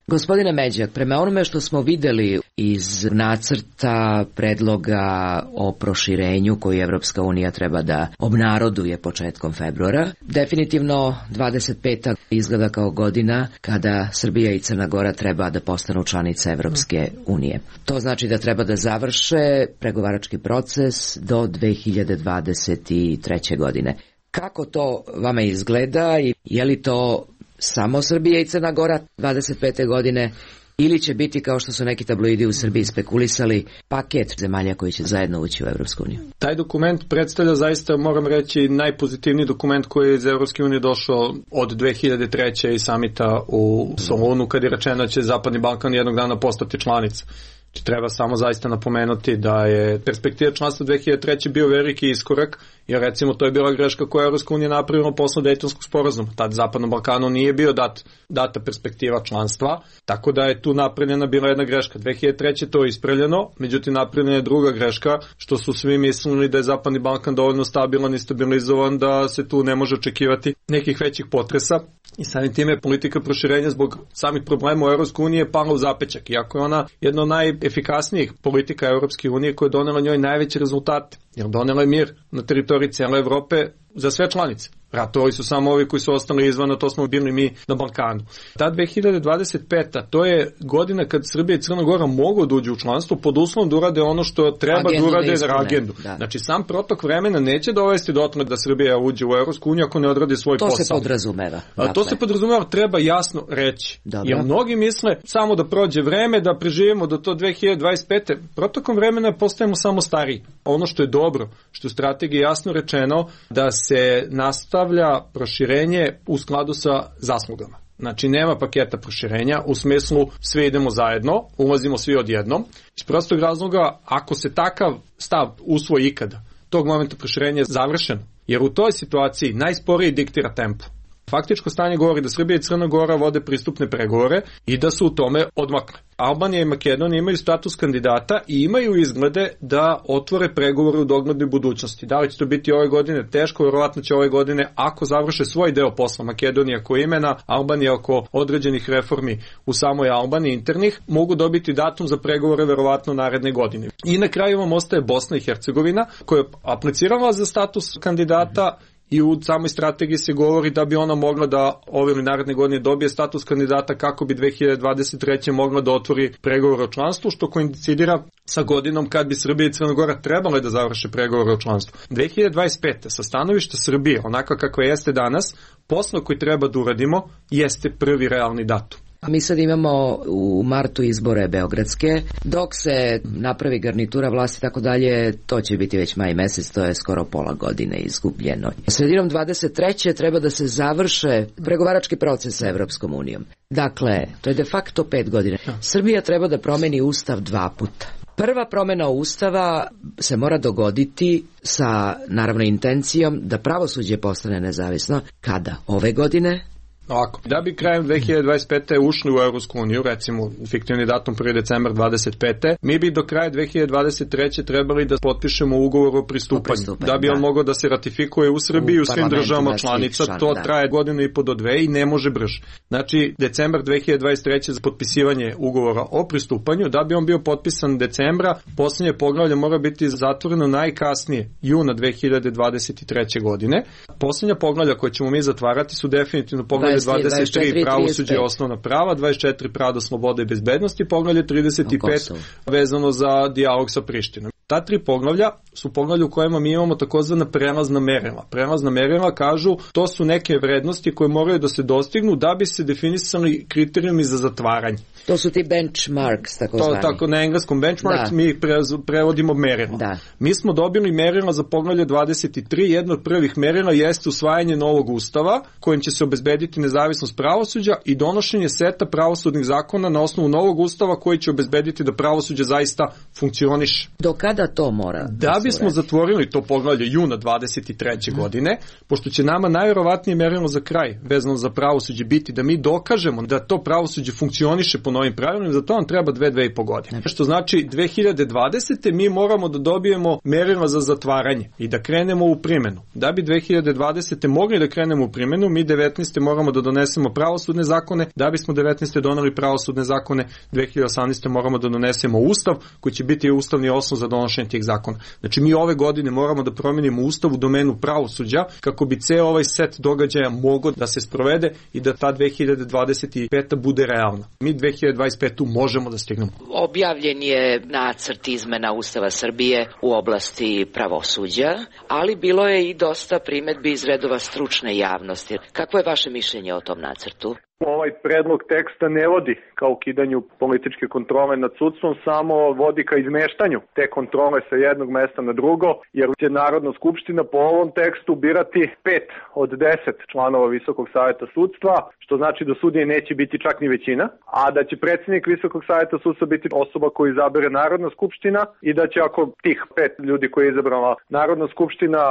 Gospodine Međak, prema onome što smo vidjeli iz nacrta predloga o proširenju koji Evropska unija treba da obnaroduje početkom februara, definitivno dvadeset peta izgleda kao godina kada Srbija i Crna Gora treba da postanu članice Evropske unije. To znači da treba da završe pregovarački proces do dve hiljade dvadeset treće. godine. Kako to vama izgleda i je li to samo Srbija i Crna Gora dvadeset pete. godine ili će biti, kao što su neki tabloidi u Srbiji spekulisali, paket zemalja koji će zajedno ući u Evropsku uniju? Taj dokument predstavlja zaista, moram reći, najpozitivniji dokument koji je iz Evropske unije došao od dve hiljade treće. i samita u Solunu, kad je rečeno da će Zapadni Balkan jednog dana postati članica. Znači, treba samo zaista napomenuti da je perspektiva članstva dve hiljade treće. bio veliki iskorak, jer recimo to je bila greška koja je Evropska unija napravila posle Dejtonskog sporazuma. Tad Zapadnom Balkanu nije bio dat, data perspektiva članstva, tako da je tu napravljena bila jedna greška. dve hiljade treće. to je ispravljeno, međutim napravljena je druga greška, što su svi mislili da je Zapadni Balkan dovoljno stabilan i stabilizovan da se tu ne može očekivati nekih većih potresa. I samim time politika proširenja zbog samih problema u Evropskoj uniji je pala u zapećak, iako je ona jedna od najefikasnijih politika Evropske unije koja je donela njoj najveće rezultate, jer donela je mir na teritoriji cijele Evrope za sve članice. Ratovali su samo ovi koji su ostali izvan, a to smo bili mi na Balkanu. Ta dve hiljade dvadeset peta. to je godina kad Srbija i Crna Gora mogu da uđu u članstvo pod uslovom da urade ono što treba agendu da urade na agendu. Da. Znači sam protok vremena neće dovesti do toga da Srbija uđe u Evropsku uniju ako ne odradi svoj to posao. To se podrazumeva. Dakle. To se podrazumeva, treba jasno reći. Dobro. Jer mnogi misle samo da prođe vreme, da preživimo do to dve hiljade dvadeset pete. Protokom vremena postajemo samo stariji. Ono što je dobro, što je u strategiji jasno rečeno, da se nastavi stavlja proširenje u skladu sa zaslugama. Znači, nema paketa proširenja, u smislu sve idemo zajedno, ulazimo svi odjednom. Iz prostog razloga, ako se takav stav usvoji ikada, tog momenta proširenja je završeno, jer u toj situaciji najsporiji diktira tempo. Faktičko stanje govori da Srbija i Crna Gora vode pristupne pregovore i da su u tome odmakle. Albanija i Makedonija imaju status kandidata i imaju izglede da otvore pregovore u doglednoj budućnosti. Da li će to biti ove godine? Teško, verovatno će ove godine, ako završe svoj deo posla, Makedonija oko imena, Albanija oko određenih reformi u samoj Albaniji internih, mogu dobiti datum za pregovore verovatno naredne godine. I na kraju vam ostaje Bosna i Hercegovina, koja je aplicirala za status kandidata i u samoj strategiji se govori da bi ona mogla da ove ili naredne godine dobije status kandidata kako bi dve hiljade dvadeset treće mogla da otvori pregovore o članstvu, što koincidira sa godinom kad bi Srbija i Crna Gora trebale da završe pregovore o članstvu. dve hiljade dvadeset pete sa stanovišta Srbije, onako kakva jeste danas, posao koji treba da uradimo jeste prvi realni datum. A mi sad imamo u martu izbore beogradske, dok se napravi garnitura vlasti i tako dalje, to će biti već maj mesec, to je skoro pola godine izgubljeno. Sredinom dvadeset treće treba da se završe pregovarački proces sa Evropskom unijom. Dakle, to je de facto pet godina. Srbija treba da promeni ustav dva puta. Prva promjena ustava se mora dogoditi sa, naravno, intencijom da pravosuđe postane nezavisno. Kada? Ove godine? Ovako, da bi krajem dve hiljade dvadeset pete ušli u Evropsku uniju, recimo fiktivni datum prvi decembar dvadeset pete, mi bi do kraja dve hiljade dvadeset treće trebali da potpišemo ugovor o pristupanju, o pristupanju da bi on da. mogao da se ratifikuje u Srbiji u, u svim državama članica, član, to da. traje godinu i po do dve i ne može brže. Znači, decembar dve hiljade dvadeset treće za potpisivanje ugovora o pristupanju, da bi on bio potpisan decembra, posljednje poglavlje mora biti zatvoreno najkasnije juna dve hiljade dvadeset treće godine. Posljednja poglavlja koje ćemo mi zatvarati su definitivno poglavlje dvadeset tri pravosuđe i osnovna prava, dvadeset četiri pravo slobode i bezbednosti, poglavlje trideset pet vezano za dijalog sa Prištinom. Ta tri poglavlja su poglavlja u kojima mi imamo takozvana prelazna merila. Prelazna merila kažu to su neke vrednosti koje moraju da se dostignu da bi se definisali kriterijumi za zatvaranje. To su ti benchmarks, tako zvani. To tako na engleskom benchmarks, da. mi pre, prevodimo merila. Da. Mi smo dobili merila za poglavlje dvadeset tri, jedno od prvih merila jeste usvajanje novog ustava kojim će se obezbediti nezavisnost pravosuđa i donošenje seta pravosudnih zakona na osnovu novog ustava koji će obezbediti da pravosuđe zaista funkcioniše. Do kada to mora? Da bismo zatvorili to poglavlje juna dvadeset treće godine, pošto će nama najverovatnije merilo za kraj vezano za pravosuđe biti da mi dokažemo da to pravosuđe funkcioniše po novim pravilima, za to nam treba dve, dve i po godine. Što znači dve hiljade dvadesete mi moramo da dobijemo merila za zatvaranje i da krenemo u primjenu. Da bi dve hiljade dvadesete mogli da krenemo u primjenu, mi devetnaeste moramo da donesemo pravosudne zakone, da bismo devetnaeste doneli pravosudne zakone, dve hiljade osamnaeste moramo da donesemo ustav koji će biti ustavni osnov za donošenje tih zakona. Znači mi ove godine moramo da promenimo ustav u domenu pravosuđa kako bi ceo ovaj set događaja mogao da se sprovede i da ta dve hiljade dvadeset peta bude realna. Mi dve hiljade dvadeset petu možemo da stignemo. Objavljen je nacrt izmena Ustava Srbije u oblasti pravosuđa, ali bilo je i dosta primedbi iz redova stručne javnosti. Kako je vaše mišljenje o tom nacrtu? Ovaj predlog teksta ne vodi ka ukidanju političke kontrole nad sudstvom, samo vodi ka izmeštanju te kontrole sa jednog mesta na drugo, jer će Narodna skupština po ovom tekstu birati pet od deset članova Visokog saveta sudstva, što znači da sudije neće biti čak ni većina, a da će predsjednik Visokog saveta sudstva biti osoba koju izabere Narodna skupština i da će ako tih pet ljudi koje je izabrala Narodna skupština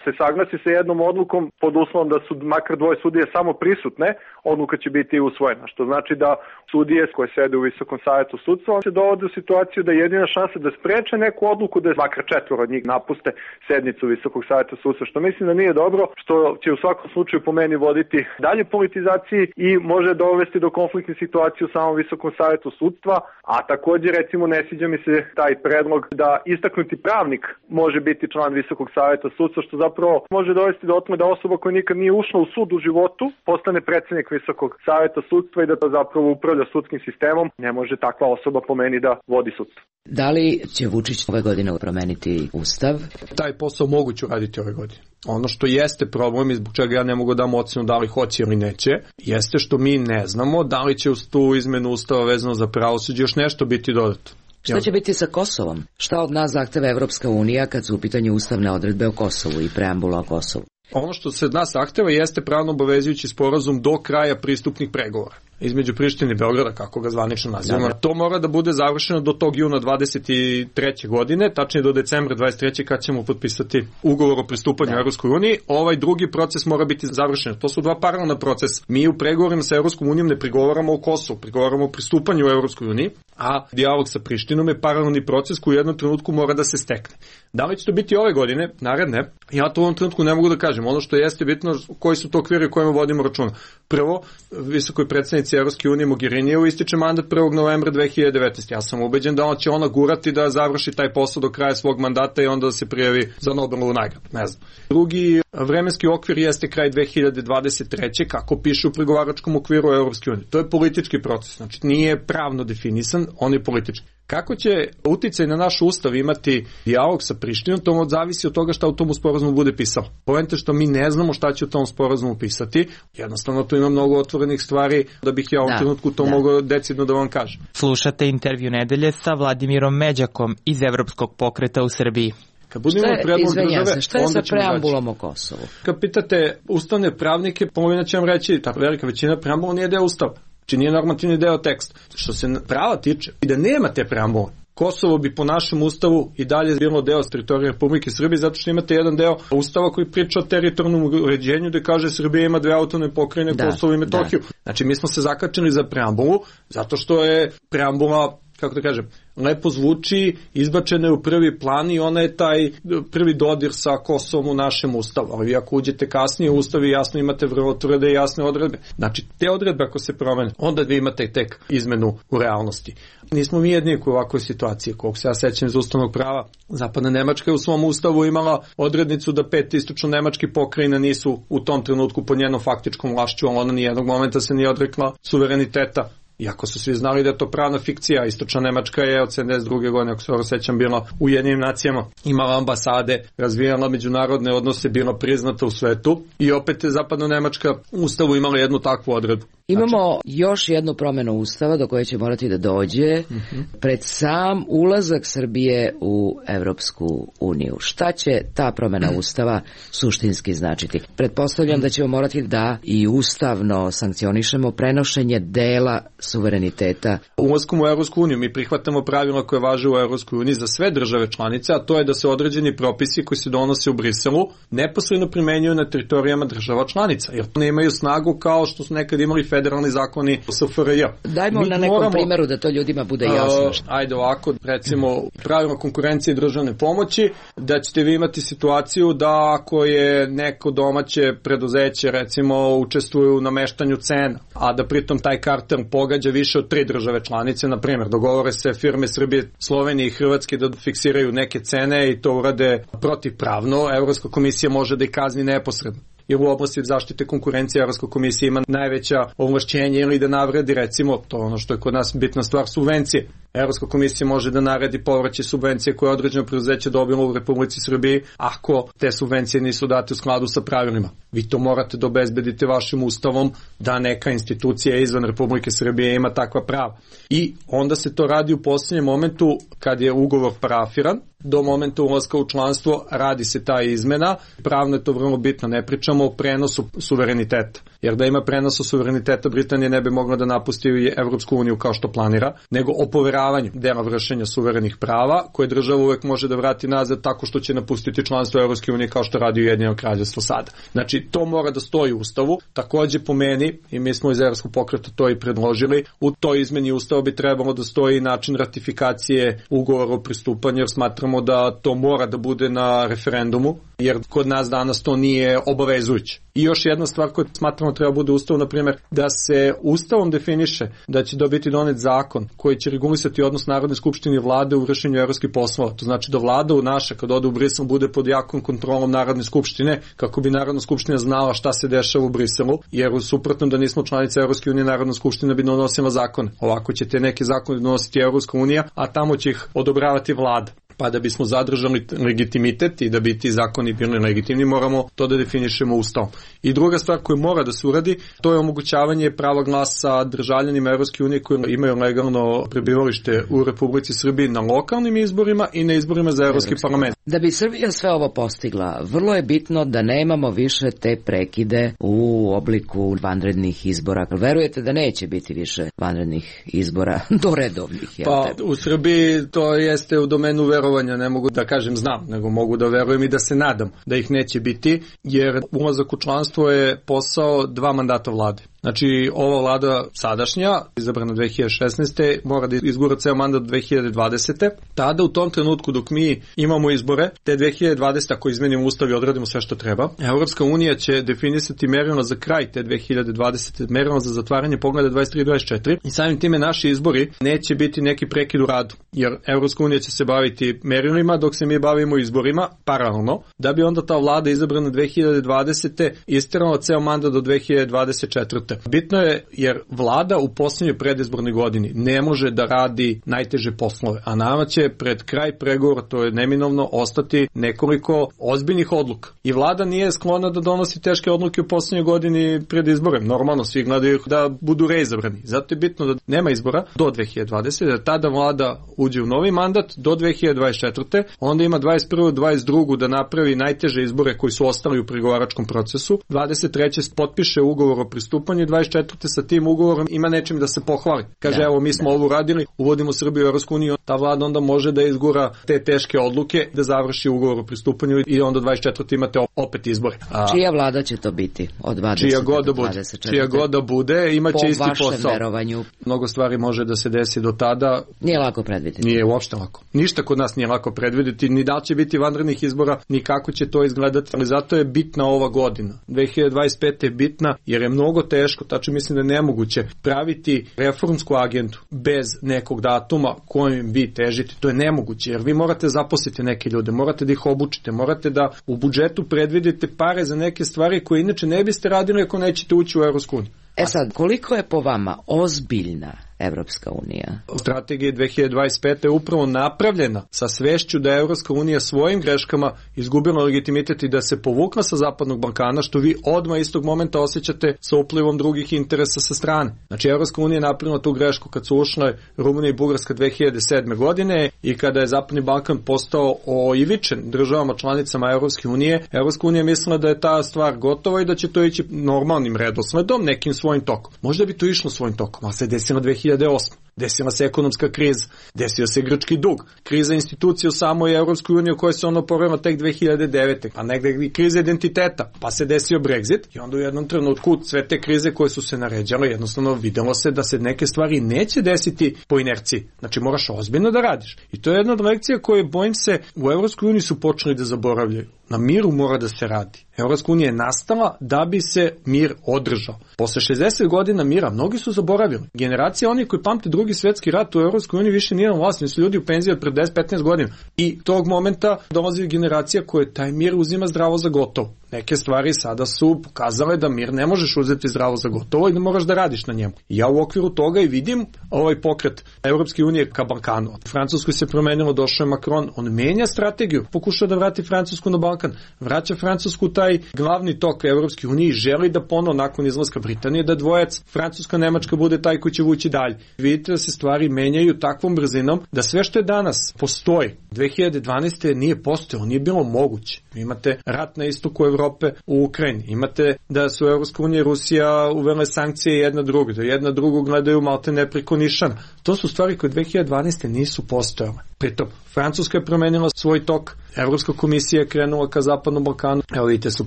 se saglasi sa jednom odlukom pod uslovom da su makar dvoje sudije samo prisutne, odluka će biti usvojena, što znači da sudije koje sede u Visokom savetu sudstva se dovode u situaciju da je jedina šansa da spreče neku odluku da je makar četvoro od njih napuste sednicu Visokog saveta sudstva, što mislim da nije dobro, što će u svakom slučaju po meni voditi dalje politizaciji i može dovesti do konfliktne situacije u samom Visokom savetu sudstva, a također recimo ne sviđa mi se taj predlog da istaknuti pravnik može biti član Visokog saveta sudstva, što zapravo može dovesti do otme da osoba koja nikad nije ušla u sud u životu postane predsjednik Visokog saveta sudstva i da to zapravo upravlja sudskim sistemom. Ne može takva osoba po meni da vodi sudstvo. Da li će Vučić ove godine promeniti ustav? Taj posao moguće uraditi ove godine. Ono što jeste problem i zbog čega ja ne mogu da dam ocenu da li hoće ili neće, jeste što mi ne znamo da li će uz tu izmenu ustava vezano za pravosuđe još nešto biti dodato. Šta će biti sa Kosovom? Šta od nas zahteva Evropska unija kad su u pitanju ustavne odredbe o Kosovu i preambula o Kosovu? Ono što se od nas zahteva jeste pravno obavezujući sporazum do kraja pristupnih pregovora između Prištine i Beograda, kako ga zvanično nazivamo. To mora da bude završeno do tog juna dvadeset treće godine, tačnije do decembra dvadeset treće kad ćemo potpisati ugovor o pristupanju da. Evropskoj uniji. Ovaj drugi proces mora biti završen. To su dva paralelna procesa. Mi u pregovorima sa Evropskom unijom ne pregovaramo o Kosovu, pregovaramo o pristupanju u Evropskoj uniji, a dijalog sa Prištinom je paralelni proces koji u jednom trenutku mora da se stekne. Da li će to biti ove godine, naredne, ja to u ovom trenutku ne mogu da kažem. Ono što jeste bitno, koji su to okviri u kojima vodimo računa. Prvo, visokoj predsednici Evropske unije Mogherinijevu ističe mandat prvog novembra dve hiljade devetnaeste. Ja sam ubeđen da će ona gurati da završi taj posao do kraja svog mandata i onda da se prijavi za Nobelovu nagradu. Ne znam. Drugi vremenski okvir jeste kraj dve hiljade dvadeset treće kako piše u pregovaračkom okviru Evropske unije. To je politički proces, znači nije pravno definisan, on je politički. Kako će uticaj na naš ustav imati dijalog sa Prištinom, to zavisi od toga šta u tom sporazumu bude pisalo. Poenta što mi ne znamo šta će u tom sporazumu pisati, jednostavno tu ima mnogo otvorenih stvari da bih ja u ovom trenutku to da. mogao decidno da vam kažem. Slušate intervju nedelje sa Vladimirom Međakom iz Evropskog pokreta u Srbiji. Kad budemo predlog države, šta je sa preambulom o Kosovu? Kad pitate ustavne pravnike, polovina će vam reći, ta velika većina preambula nije deo ustava. Znači nije normativni deo teksta. Što se prava tiče, i da nema te preambule, Kosovo bi po našem ustavu i dalje bilo deo teritorije Republike Srbije, zato što imate jedan deo ustava koji priča o teritorijalnom uređenju gde kaže Srbija ima dve autonomne pokrajine, da, Kosovo i Metohiju. Da. Znači mi smo se zakačili za preambulu, zato što je preambula, kako da kažem, lepo zvuči, izbačena je u prvi plan i ona je taj prvi dodir sa Kosovom u našem ustavu. Ali vi ako uđete kasnije u ustav i jasno imate vrlo tvrde i jasne odredbe. Znači, te odredbe ako se promene, onda vi imate tek izmenu u realnosti. Nismo mi jedni u ovakvoj situaciji, koliko se ja sećam iz ustavnog prava. Zapadna Nemačka je u svom ustavu imala odrednicu da pet istočno-nemačkih pokrajina nisu u tom trenutku pod njenom faktičkom vlašću, ali ona nijednog momenta se nije odrekla suvereniteta. Iako su svi znali da je to pravna fikcija, istočna Nemačka je od sedamdeset druge godine, ako se ovo sećam, bila u Ujedinjenim nacijama, imala ambasade, razvijala međunarodne odnose, bila priznata u svetu i opet je zapadna Nemačka u ustavu imala jednu takvu odredbu. Imamo znači, još jednu promenu ustava do koje će morati da dođe uh-huh. pred sam ulazak Srbije u Evropsku uniju. Šta će ta promena ustava suštinski značiti? Pretpostavljam da ćemo morati da i ustavno sankcionišemo prenošenje dela suvereniteta. Ulaskom u Evropsku uniju mi prihvatamo pravila koje važe u Evropskoj uniji za sve države članice, a to je da se određeni propisi koji se donose u Briselu neposredno primenjuju na teritorijama država članica, jer ne imaju snagu kao što su nekad imali federalni zakoni S F R J. Dajmo mi na nekom moramo, primjeru da to ljudima bude jasno. Uh, ajde ovako, recimo pravila konkurencije i državne pomoći, da ćete vi imati situaciju da ako je neko domaće preduzeće recimo učestvuje u nameštanju cena, a da pritom taj kartel pogađa više od tri države članice, na primjer, dogovore se firme Srbije, Slovenije i Hrvatske da fiksiraju neke cene i to urade protivpravno, Evropska komisija može da ih kazni neposredno. Jer u oblasti zaštite konkurencije Evropska komisija ima najveća ovlašćenja ili da navredi, recimo, to ono što je kod nas bitna stvar, subvencije. Evropska komisija može da naredi povraćaj subvencije koje je određeno preduzeće dobilo u Republici Srbiji ako te subvencije nisu date u skladu sa pravilima. Vi to morate da obezbedite vašim ustavom da neka institucija izvan Republike Srbije ima takva prava. I onda se to radi u posljednjem momentu kad je ugovor parafiran, do momenta ulaska u članstvo radi se ta izmena. Pravno je to vrlo bitno, ne pričamo o prenosu suvereniteta. Jer da ima prenosu suvereniteta Britanija ne bi mogla da napusti Evropsku uniju kao što planira, nego o poveravanju dela vršenja suverenih prava koje država uvek može da vrati nazad tako što će napustiti članstvo Evropske unije kao što radi Ujedinjeno kraljevstvo sada. Znači to mora da stoji u ustavu. Takođe po meni, i mi smo iz Evropskog pokreta to i predložili, u toj izmeni ustava bi trebalo da stoji način ratifikacije ugovora o pristupanju, jer smatramo da to mora da bude na referendumu, jer kod nas danas to nije obavezujuće. I još jedna stvar koju smatramo treba bude ustav, na primjer, da se ustavom definiše da će dobiti donet zakon koji će regulisati odnos Narodne skupštine i vlade u vršenju evropskih poslova. To znači da vlada u naša, kad ode u Brisel, bude pod jakom kontrolom Narodne skupštine, kako bi Narodna skupština znala šta se dešava u Briselu, jer u suprotnom da nismo članice Evropske unije, Narodna skupština bi donosila zakone. Ovako ćete neke zakone donositi Evropska unija, a tamo će ih odobravati vlada. pa da bismo zadržali legitimitet i da bi ti zakoni bili legitimni, moramo to da definišemo ustavom. I druga stvar koju mora da se uradi, to je omogućavanje prava glasa državljanima Evropske unije koji imaju legalno prebivalište u Republici Srbiji na lokalnim izborima i na izborima za Evropski parlament. Da bi Srbija sve ovo postigla, vrlo je bitno da nemamo više te prekide u obliku vanrednih izbora. Verujete da neće biti više vanrednih izbora do redovnih? Pa u Srbiji to jeste u domenu verovanja, ne mogu da kažem znam, nego mogu da verujem i da se nadam da ih neće biti, jer ulazak u članstvo je posao dva mandata vlade. Znači, ova vlada sadašnja, izabrana dve hiljade šesnaeste. mora da izgura ceo mandat dve hiljade dvadesete. Tada u tom trenutku dok mi imamo izbore, te dve hiljade dvadesete. ako izmenimo ustav i odradimo sve što treba, Evropska unija će definisati merila za kraj te dve hiljade dvadesete. merila za zatvaranje pogleda dvadeset tri dvadeset četiri i samim time naši izbori neće biti neki prekid u radu, jer Evropska unija će se baviti merilima dok se mi bavimo izborima paralelno, da bi onda ta vlada izabrana dve hiljade dvadesete. isterala ceo mandat do dve hiljade dvadeset četvrte. Bitno je jer vlada u posljednjoj predizbornoj godini ne može da radi najteže poslove, a nama će pred kraj pregovora, to je neminovno, ostati nekoliko ozbiljnih odluka. I vlada nije sklona da donosi teške odluke u posljednjoj godini pred izborem. Normalno, svi gledaju da budu reizabrani. Zato je bitno da nema izbora do dve hiljade dvadesete. da tada vlada uđe u novi mandat do dve hiljade dvadeset četvrte. onda ima dvadeset prve dvadeset druge da napravi najteže izbore koji su ostali u pregovaračkom procesu. dvadeset treće potpiše ugovor o pristupanju, dvadeset četvrte sa tim ugovorom ima nečim da se pohvali. Kaže, da, evo, mi smo da. ovo radili, uvodimo Srbiju u Evropsku uniju, ta vlada onda može da izgura te teške odluke, da završi ugovor o pristupanju i onda dvadeset četvrte imate opet izbore. A, čija vlada će to biti? Od dvadesete čija god da bude, čija god da bude, imaće isti posao. Po vašem verovanju? Mnogo stvari može da se desi do tada. Nije lako predvidjeti. Nije uopšte lako. Ništa kod nas nije lako predvidjeti, ni da će biti vanrednih izbora, ni kako će to izgledati, ali zato je bitna ova godina. dve hiljade dvadeset pete. je bitna jer je mnogo teško, tačno mislim da je nemoguće praviti reformsku agendu bez nekog datuma kojim vi težite. To je nemoguće jer vi morate zaposliti neke ljude, morate da ih obučite, morate da u budžetu predvidite pare za neke stvari koje inače ne biste radili ako nećete ući u Evropsku uniju. E sad, koliko je po vama ozbiljna Evropska unija? Strategija dve hiljade dvadeset pete. je upravo napravljena sa svešću da je Evropska unija svojim greškama izgubila legitimitet i da se povukla sa Zapadnog Balkana, što vi odmah istog momenta osjećate sa uplivom drugih interesa sa strane. Znači, Evropska unija je napravila tu grešku kad su ušle Rumunija i Bugarska dve hiljade sedme. godine i kada je Zapadni Balkan postao oivičen državama članicama Evropske unije. Evropska unija mislila da je ta stvar gotova i da će to ići normalnim redosledom, nekim svojim tokom. Možda bi to išlo svojim tokom, ali se desilo dve hiljade osme. Desila se ekonomska kriza, desio se grčki dug, kriza institucija u samoj Evropskoj uniji koja se ono povela tek dve hiljade devete. Pa negde i kriza identiteta, pa se desio Brexit i onda u jednom trenutku sve te krize koje su se naređale, jednostavno videlo se da se neke stvari neće desiti po inerciji. Znači moraš ozbiljno da radiš. I to je jedna od lekcija koje, bojim se, u Evropskoj uniji su počeli da zaboravljaju. Na miru mora da se radi. Evropska unija je nastala da bi se mir održao. Posle šezdeset godina mira mnogi su zaboravili. Generacija onih koji pamte drugi svjetski rat u Evropskoj uniji više nije na vlasti, su ljudi u penziji od pre deset petnaest godina. I tog momenta dolazi generacija koja taj mir uzima zdravo za gotovo. Neke stvari sada su pokazale da mir ne možeš uzeti zdravo za gotovo i da moraš da radiš na njemu. I ja u okviru toga i vidim ovaj pokret Evropske unije ka Balkanu. Od Francuskoj se promenilo, došao je Macron, on menja strategiju, pokušao da vrati Francusku na Balkan, vraća Francusku taj glavni tok Evropske unije i želi da ponovo nakon izlaska Britanije da dvojac Francuska-Nemačka bude taj koji će vući dalje. Vidite da se stvari menjaju takvom brzinom da sve što je danas postoji, dve hiljade dvanaeste. nije postojalo, nije bilo moguće. Imate rat na istoku Evrope u Ukrajini, imate da su Evropska unija i Rusija uvele sankcije jedna drugu, da jedna drugu gledaju malte ne preko nišana. To su stvari koje dve hiljade dvanaeste. nisu postojale. Pritom, Francuska je promenila svoj tok, Evropska komisija je krenula ka Zapadnom Balkanu. Evo vidite, su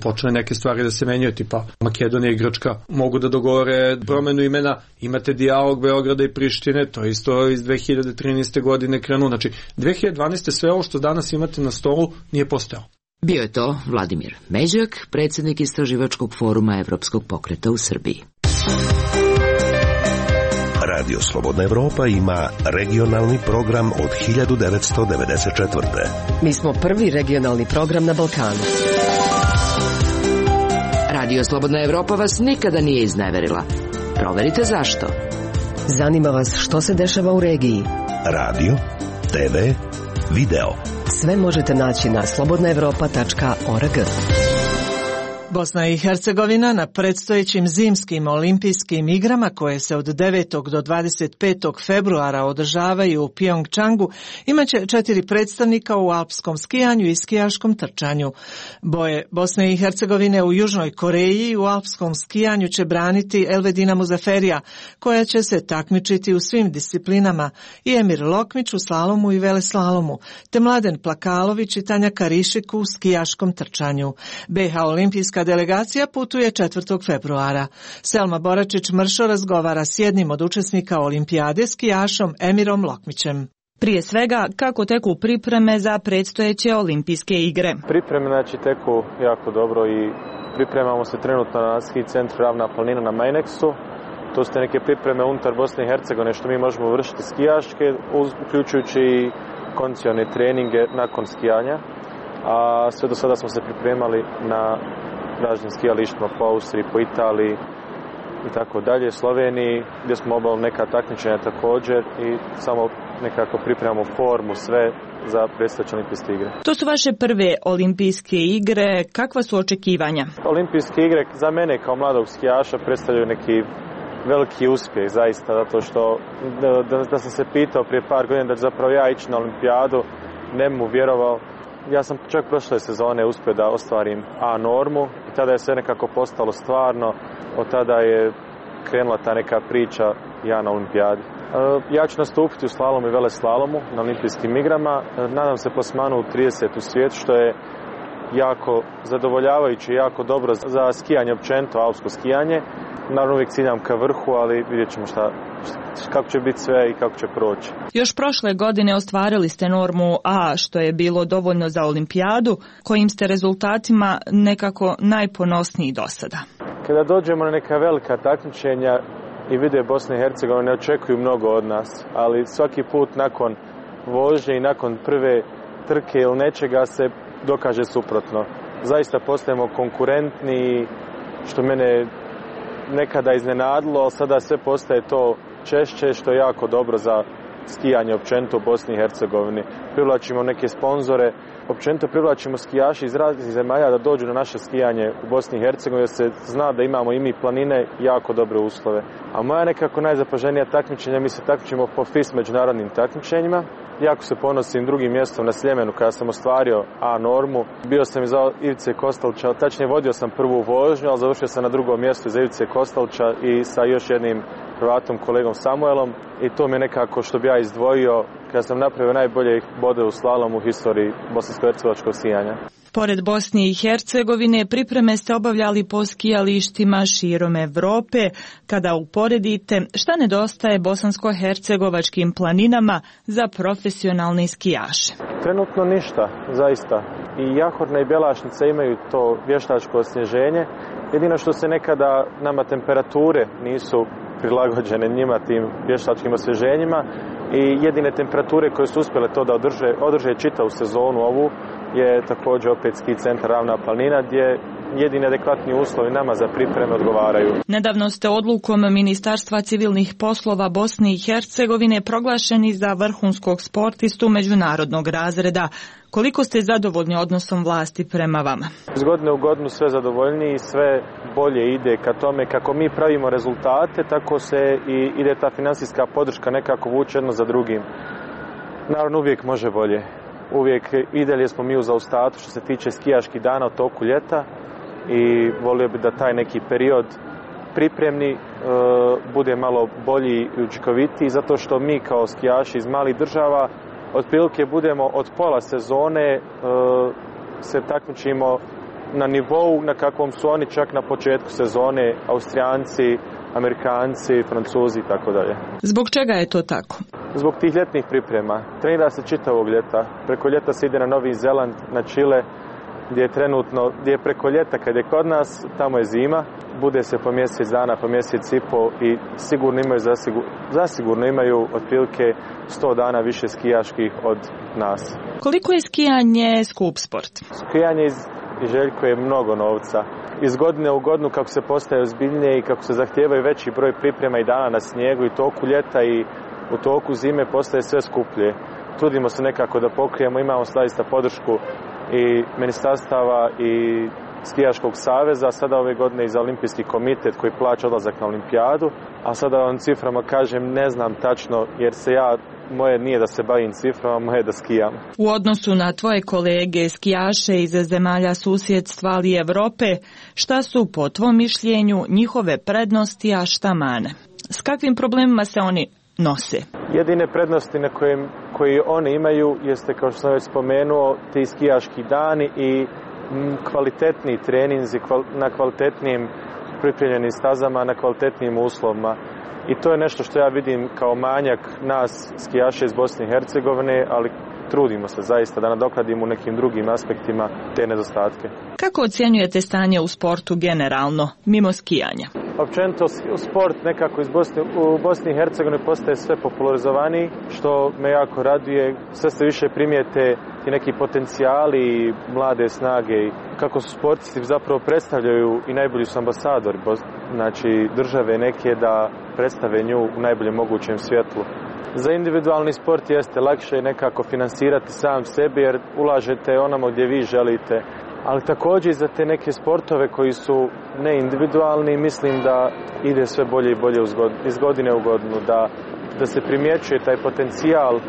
počele neke stvari da se menjaju, tipa Makedonija i Grčka mogu da dogovore promenu imena, imate dijalog Beograda i Prištine, to isto iz dve hiljade trinaeste. godine krenulo. Znači, dve hiljade dvanaeste. sve ovo što danas imate na stolu nije postojalo. Bio je to Vladimir Međak, predsjednik Istraživačkog foruma Evropskog pokreta u Srbiji. Radio Slobodna Evropa ima regionalni program od hiljadu devetsto devedeset četvrte. Mi smo prvi regionalni program na Balkanu. Radio Slobodna Evropa vas nikada nije izneverila. Proverite zašto. Zanima vas što se dešava u regiji. Radio, te ve, video. Sve možete naći na slobodna evropa tačka org. Bosna i Hercegovina na predstojećim zimskim olimpijskim igrama koje se od devetog do dvadeset petog februara održavaju u Pjongčangu imaće četiri predstavnika u alpskom skijanju i skijaškom trčanju. Boje Bosne i Hercegovine u Južnoj Koreji u alpskom skijanju će braniti Elvedina Muzaferija, koja će se takmičiti u svim disciplinama, i Emir Lokmić u slalomu i veleslalomu, te Mladen Plakalović i Tanja Karišik u skijaškom trčanju. be ha olimpijska delegacija putuje četvrtog februara. Selma Boračić-Mršo razgovara s jednim od učesnika olimpijade, skijašom Emirom Lokmićem. Prije svega, kako teku pripreme za predstojeće olimpijske igre? Pripreme znači teku jako dobro i pripremamo se trenutno na ski centru Ravna planina na Majneksu. To su neke pripreme unutar Bosne i Hercegovine što mi možemo vršiti skijaške, uključujući i kondicione treninge nakon skijanja. A sve do sada smo se pripremali na raznim skijalištima po Austriji, po Italiji i tako dalje, Sloveniji, gdje smo obavili neka takmičenja također i samo nekako pripremamo formu, sve za predstojeće olimpijske igre. To su vaše prve olimpijske igre, kakva su očekivanja? Olimpijske igre za mene kao mladog skijaša predstavljaju neki veliki uspjeh, zaista, zato što da, da, da sam se pitao prije par godina da ću zapravo ja ići na olimpijadu, ne bi mu vjerovao. Ja sam čak prošle sezone uspio da ostvarim A normu i tada je sve nekako postalo stvarno. Od tada je krenula ta neka priča ja na olimpijadi. Ja ću nastupiti u slalomu i veleslalomu na olimpijskim igrama. Nadam se plasmanu u trideset u svijetu, što je jako zadovoljavajuće i jako dobro za skijanje općenito, alpsko skijanje. Naravno uvijek ciljam ka vrhu, ali vidjet ćemo šta, kako će biti sve i kako će proći. Još prošle godine ostvarili ste normu A, što je bilo dovoljno za olimpijadu, kojim ste rezultatima nekako najponosniji do sada. Kada dođemo na neka velika takmičenja i vide Bosne i Hercegovine, ne očekuju mnogo od nas, ali svaki put nakon vožnje i nakon prve trke ili nečega se dokaže suprotno. Zaista postajemo konkurentni, što mene nekada iznenadilo, ali sada sve postaje to češće, što je jako dobro za skijanje općenito u Bosni i Hercegovini. Privlačimo neke sponzore, općenito privlačimo skijaši iz raznih zemalja da dođu na naše skijanje u Bosni i Hercegovini, jer se zna da imamo i mi planine jako dobre uslove. A moja nekako najzapaženija takmičenja, mi se takmičimo po F I S međunarodnim takmičenjima. Jako se ponosim drugim mjestom na Sljemenu kada sam ostvario A normu. Bio sam iza Ivice Kostalča, tačnije vodio sam prvu vožnju, ali završio sam na drugom mjestu iza Ivice Kostalča i sa još jednim Hrvatom, kolegom Samuelom. I to mi je nekako što bi ja izdvojio kada sam napravio najbolje bode u slalomu u historiji bosansko-hercegovačkog skijanja. Pored Bosne i Hercegovine, pripreme ste obavljali po skijalištima širom Evrope. Kada uporedite, šta nedostaje bosansko-hercegovačkim planinama za profesionalne skijaše? Trenutno ništa, zaista. I Jahorna i Bjelašnica imaju to vještačko osnježenje. Jedino što se nekada nama temperature nisu prilagođene njima, tim vještačkim osvježenjima, i jedine temperature koje su uspjele to da održe, održe čitavu sezonu ovu je također opet ski centar Ravna planina, gdje jedini adekvatni uslovi nama za pripreme odgovaraju. Nedavno ste odlukom Ministarstva civilnih poslova Bosne i Hercegovine proglašeni za vrhunskog sportistu međunarodnog razreda. Koliko ste zadovoljni odnosom vlasti prema vama? Iz godine u godinu sve zadovoljniji i sve bolje ide ka tome kako mi pravimo rezultate, tako se i ide ta financijska podrška nekako vuče jedno za drugim. Naravno uvijek može bolje. Uvijek i dalje smo mi u zaostatu što se tiče skijaških dana u toku ljeta i volio bi da taj neki period pripremni e, bude malo bolji i učinkovitiji, zato što mi kao skijaši iz malih država otprilike budemo od pola sezone e, se takmičimo na nivou na kakvom su oni čak na početku sezone, Austrijanci, Amerikanci, Francuzi i tako dalje. Zbog čega je to tako? Zbog tih ljetnih priprema. Trenira se čitavog ljeta. Preko ljeta se ide na Novi Zeland, na Čile, gdje je trenutno, gdje je preko ljeta kad je kod nas, tamo je zima. Bude se po mjesec dana, po mjesec i po i sigurno imaju, zasigurno, zasigurno imaju otprilike sto dana više skijaških od nas. Koliko je skijanje skup sport? Skijanje iz Željkuje mnogo novca. Iz godine u godinu kako se postaje ozbiljnije i kako se zahtijevaju veći broj priprema i dana na snijegu i toku ljeta i u toku zime postaje sve skuplje. trudimo se nekako da pokrijemo, imamo zaista podršku i ministarstava i skijaškog saveza, sada ove godine i za olimpijski komitet koji plaća odlazak na olimpijadu, a sada vam ciframa kažem ne znam tačno jer se ja, moje nije da se bavim ciframa, moje je da skijam. U odnosu na tvoje kolege skijaše iz zemalja susjedstva ali Evrope, šta su po tvom mišljenju njihove prednosti, a šta mane? S kakvim problemima se oni nose? Jedine prednosti na kojim, koji oni imaju jeste, kao što sam već spomenuo, ti skijaški dani i kvalitetni treninzi na kvalitetnim pripremljenim stazama, na kvalitetnim uslovima. I to je nešto što ja vidim kao manjak nas skijaša iz Bosne i Hercegovine, ali trudimo se zaista da nadoknadimo u nekim drugim aspektima te nedostatke. Kako ocjenjujete stanje u sportu generalno, mimo skijanja? Općenito sport nekako iz Bosne, u Bosni i Hercegovini postaje sve popularizovaniji, što me jako raduje. Sve se više primijete i neki potencijali i mlade snage i kako su sportisti zapravo predstavljaju i najbolji su ambasadori, znači države neke da predstave nju u najboljem mogućem svjetlu. Za individualni sport jeste lakše nekako finansirati sam sebi jer ulažete onamo gdje vi želite, ali također i za te neke sportove koji su neindividualni mislim da ide sve bolje i bolje iz godine u godinu, da, da se primjećuje taj potencijal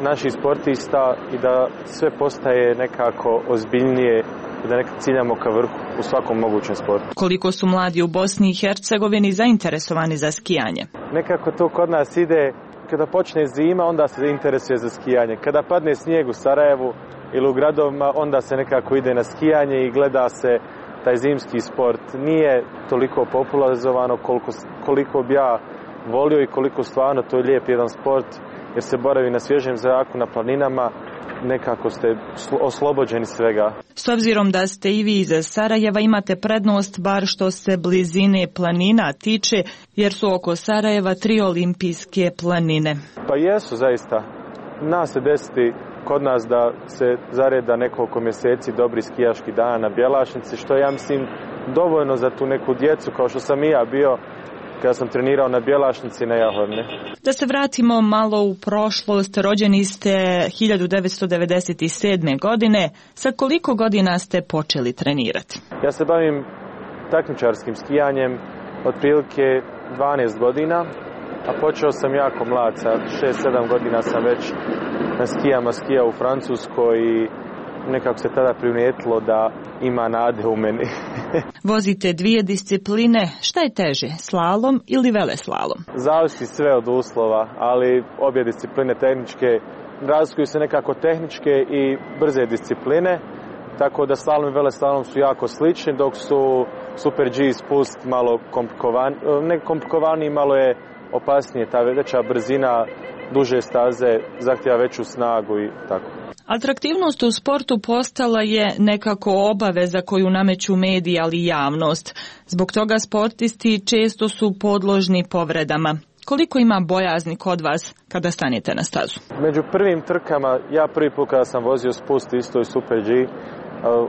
naših sportista i da sve postaje nekako ozbiljnije i da nekako ciljamo ka vrhu u svakom mogućem sportu. Koliko su mladi u Bosni i Hercegovini zainteresovani za skijanje? Nekako to kod nas ide, kada počne zima onda se interesuje za skijanje. Kada padne snijeg u Sarajevu ili u gradovima onda se nekako ide na skijanje i gleda se taj zimski sport. Nije toliko popularizovano koliko, koliko bi ja volio i koliko stvarno to je lijep jedan sport jer se boravi na svježem zraku, na planinama, nekako ste oslobođeni svega. S obzirom da ste i vi iz Sarajeva imate prednost bar što se blizine planina tiče jer su oko Sarajeva tri olimpijske planine. Pa jesu zaista. Nas se desiti kod nas da se zareda nekoliko mjeseci dobri skijaški dan na Bjelašnici, što ja mislim dovoljno za tu neku djecu kao što sam i ja bio kada sam trenirao na Bjelašnici na Jahorni. Da se vratimo malo u prošlost, rođeni ste hiljadu devetsto devedeset sedme. godine. Sa koliko godina ste počeli trenirati? Ja se bavim takmičarskim skijanjem otprilike dvanaest godina, a počeo sam jako mlad, sa šest sedam godina sam već na skijama skijao u Francuskoj i nekako se tada primijetilo da ima nade u meni. Vozite dvije discipline, šta je teže, slalom ili veleslalom? Zavisi sve od uslova, ali obje discipline tehničke, razlikuju se nekako tehničke i brze discipline, tako da slalom i veleslalom su jako slični, dok su Super G spust malo komplikovan, ne komplikovaniji, malo je opasnije, ta veća brzina, duže staze, zahtjeva veću snagu i tako. Atraktivnost u sportu postala je nekako obaveza koju nameću mediji, ali i javnost. Zbog toga sportisti često su podložni povredama. Koliko ima bojazni kod vas kada stanete na stazu? Među prvim trkama, ja prvi put kada sam vozio spust isto i Super G,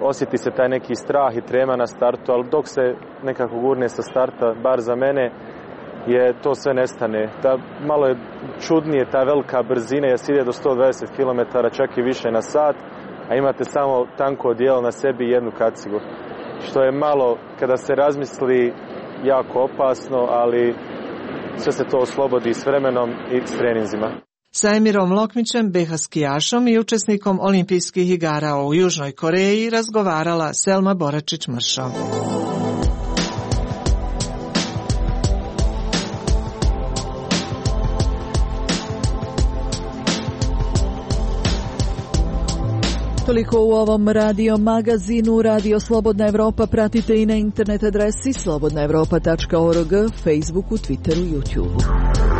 osjeti se taj neki strah i trema na startu, ali dok se nekako gurne sa starta, bar za mene, je to sve nestane. Ta, malo je čudnije ta velika brzina, jer se ide do sto dvadeset kilometara, čak i više na sat, a imate samo tanko odijelo na sebi i jednu kacigu. Što je malo, kada se razmisli, jako opasno, ali sve se to oslobodi s vremenom i s treninzima. Sa Emirom Lokmićem, be ha skijašom i učesnikom olimpijskih igara u Južnoj Koreji razgovarala Selma Boračić-Mršo. Toliko u ovom radio magazinu. Radio Slobodna Evropa pratite i na internet adresi slobodna evropa tačka org, Facebooku, Twitteru, YouTubeu.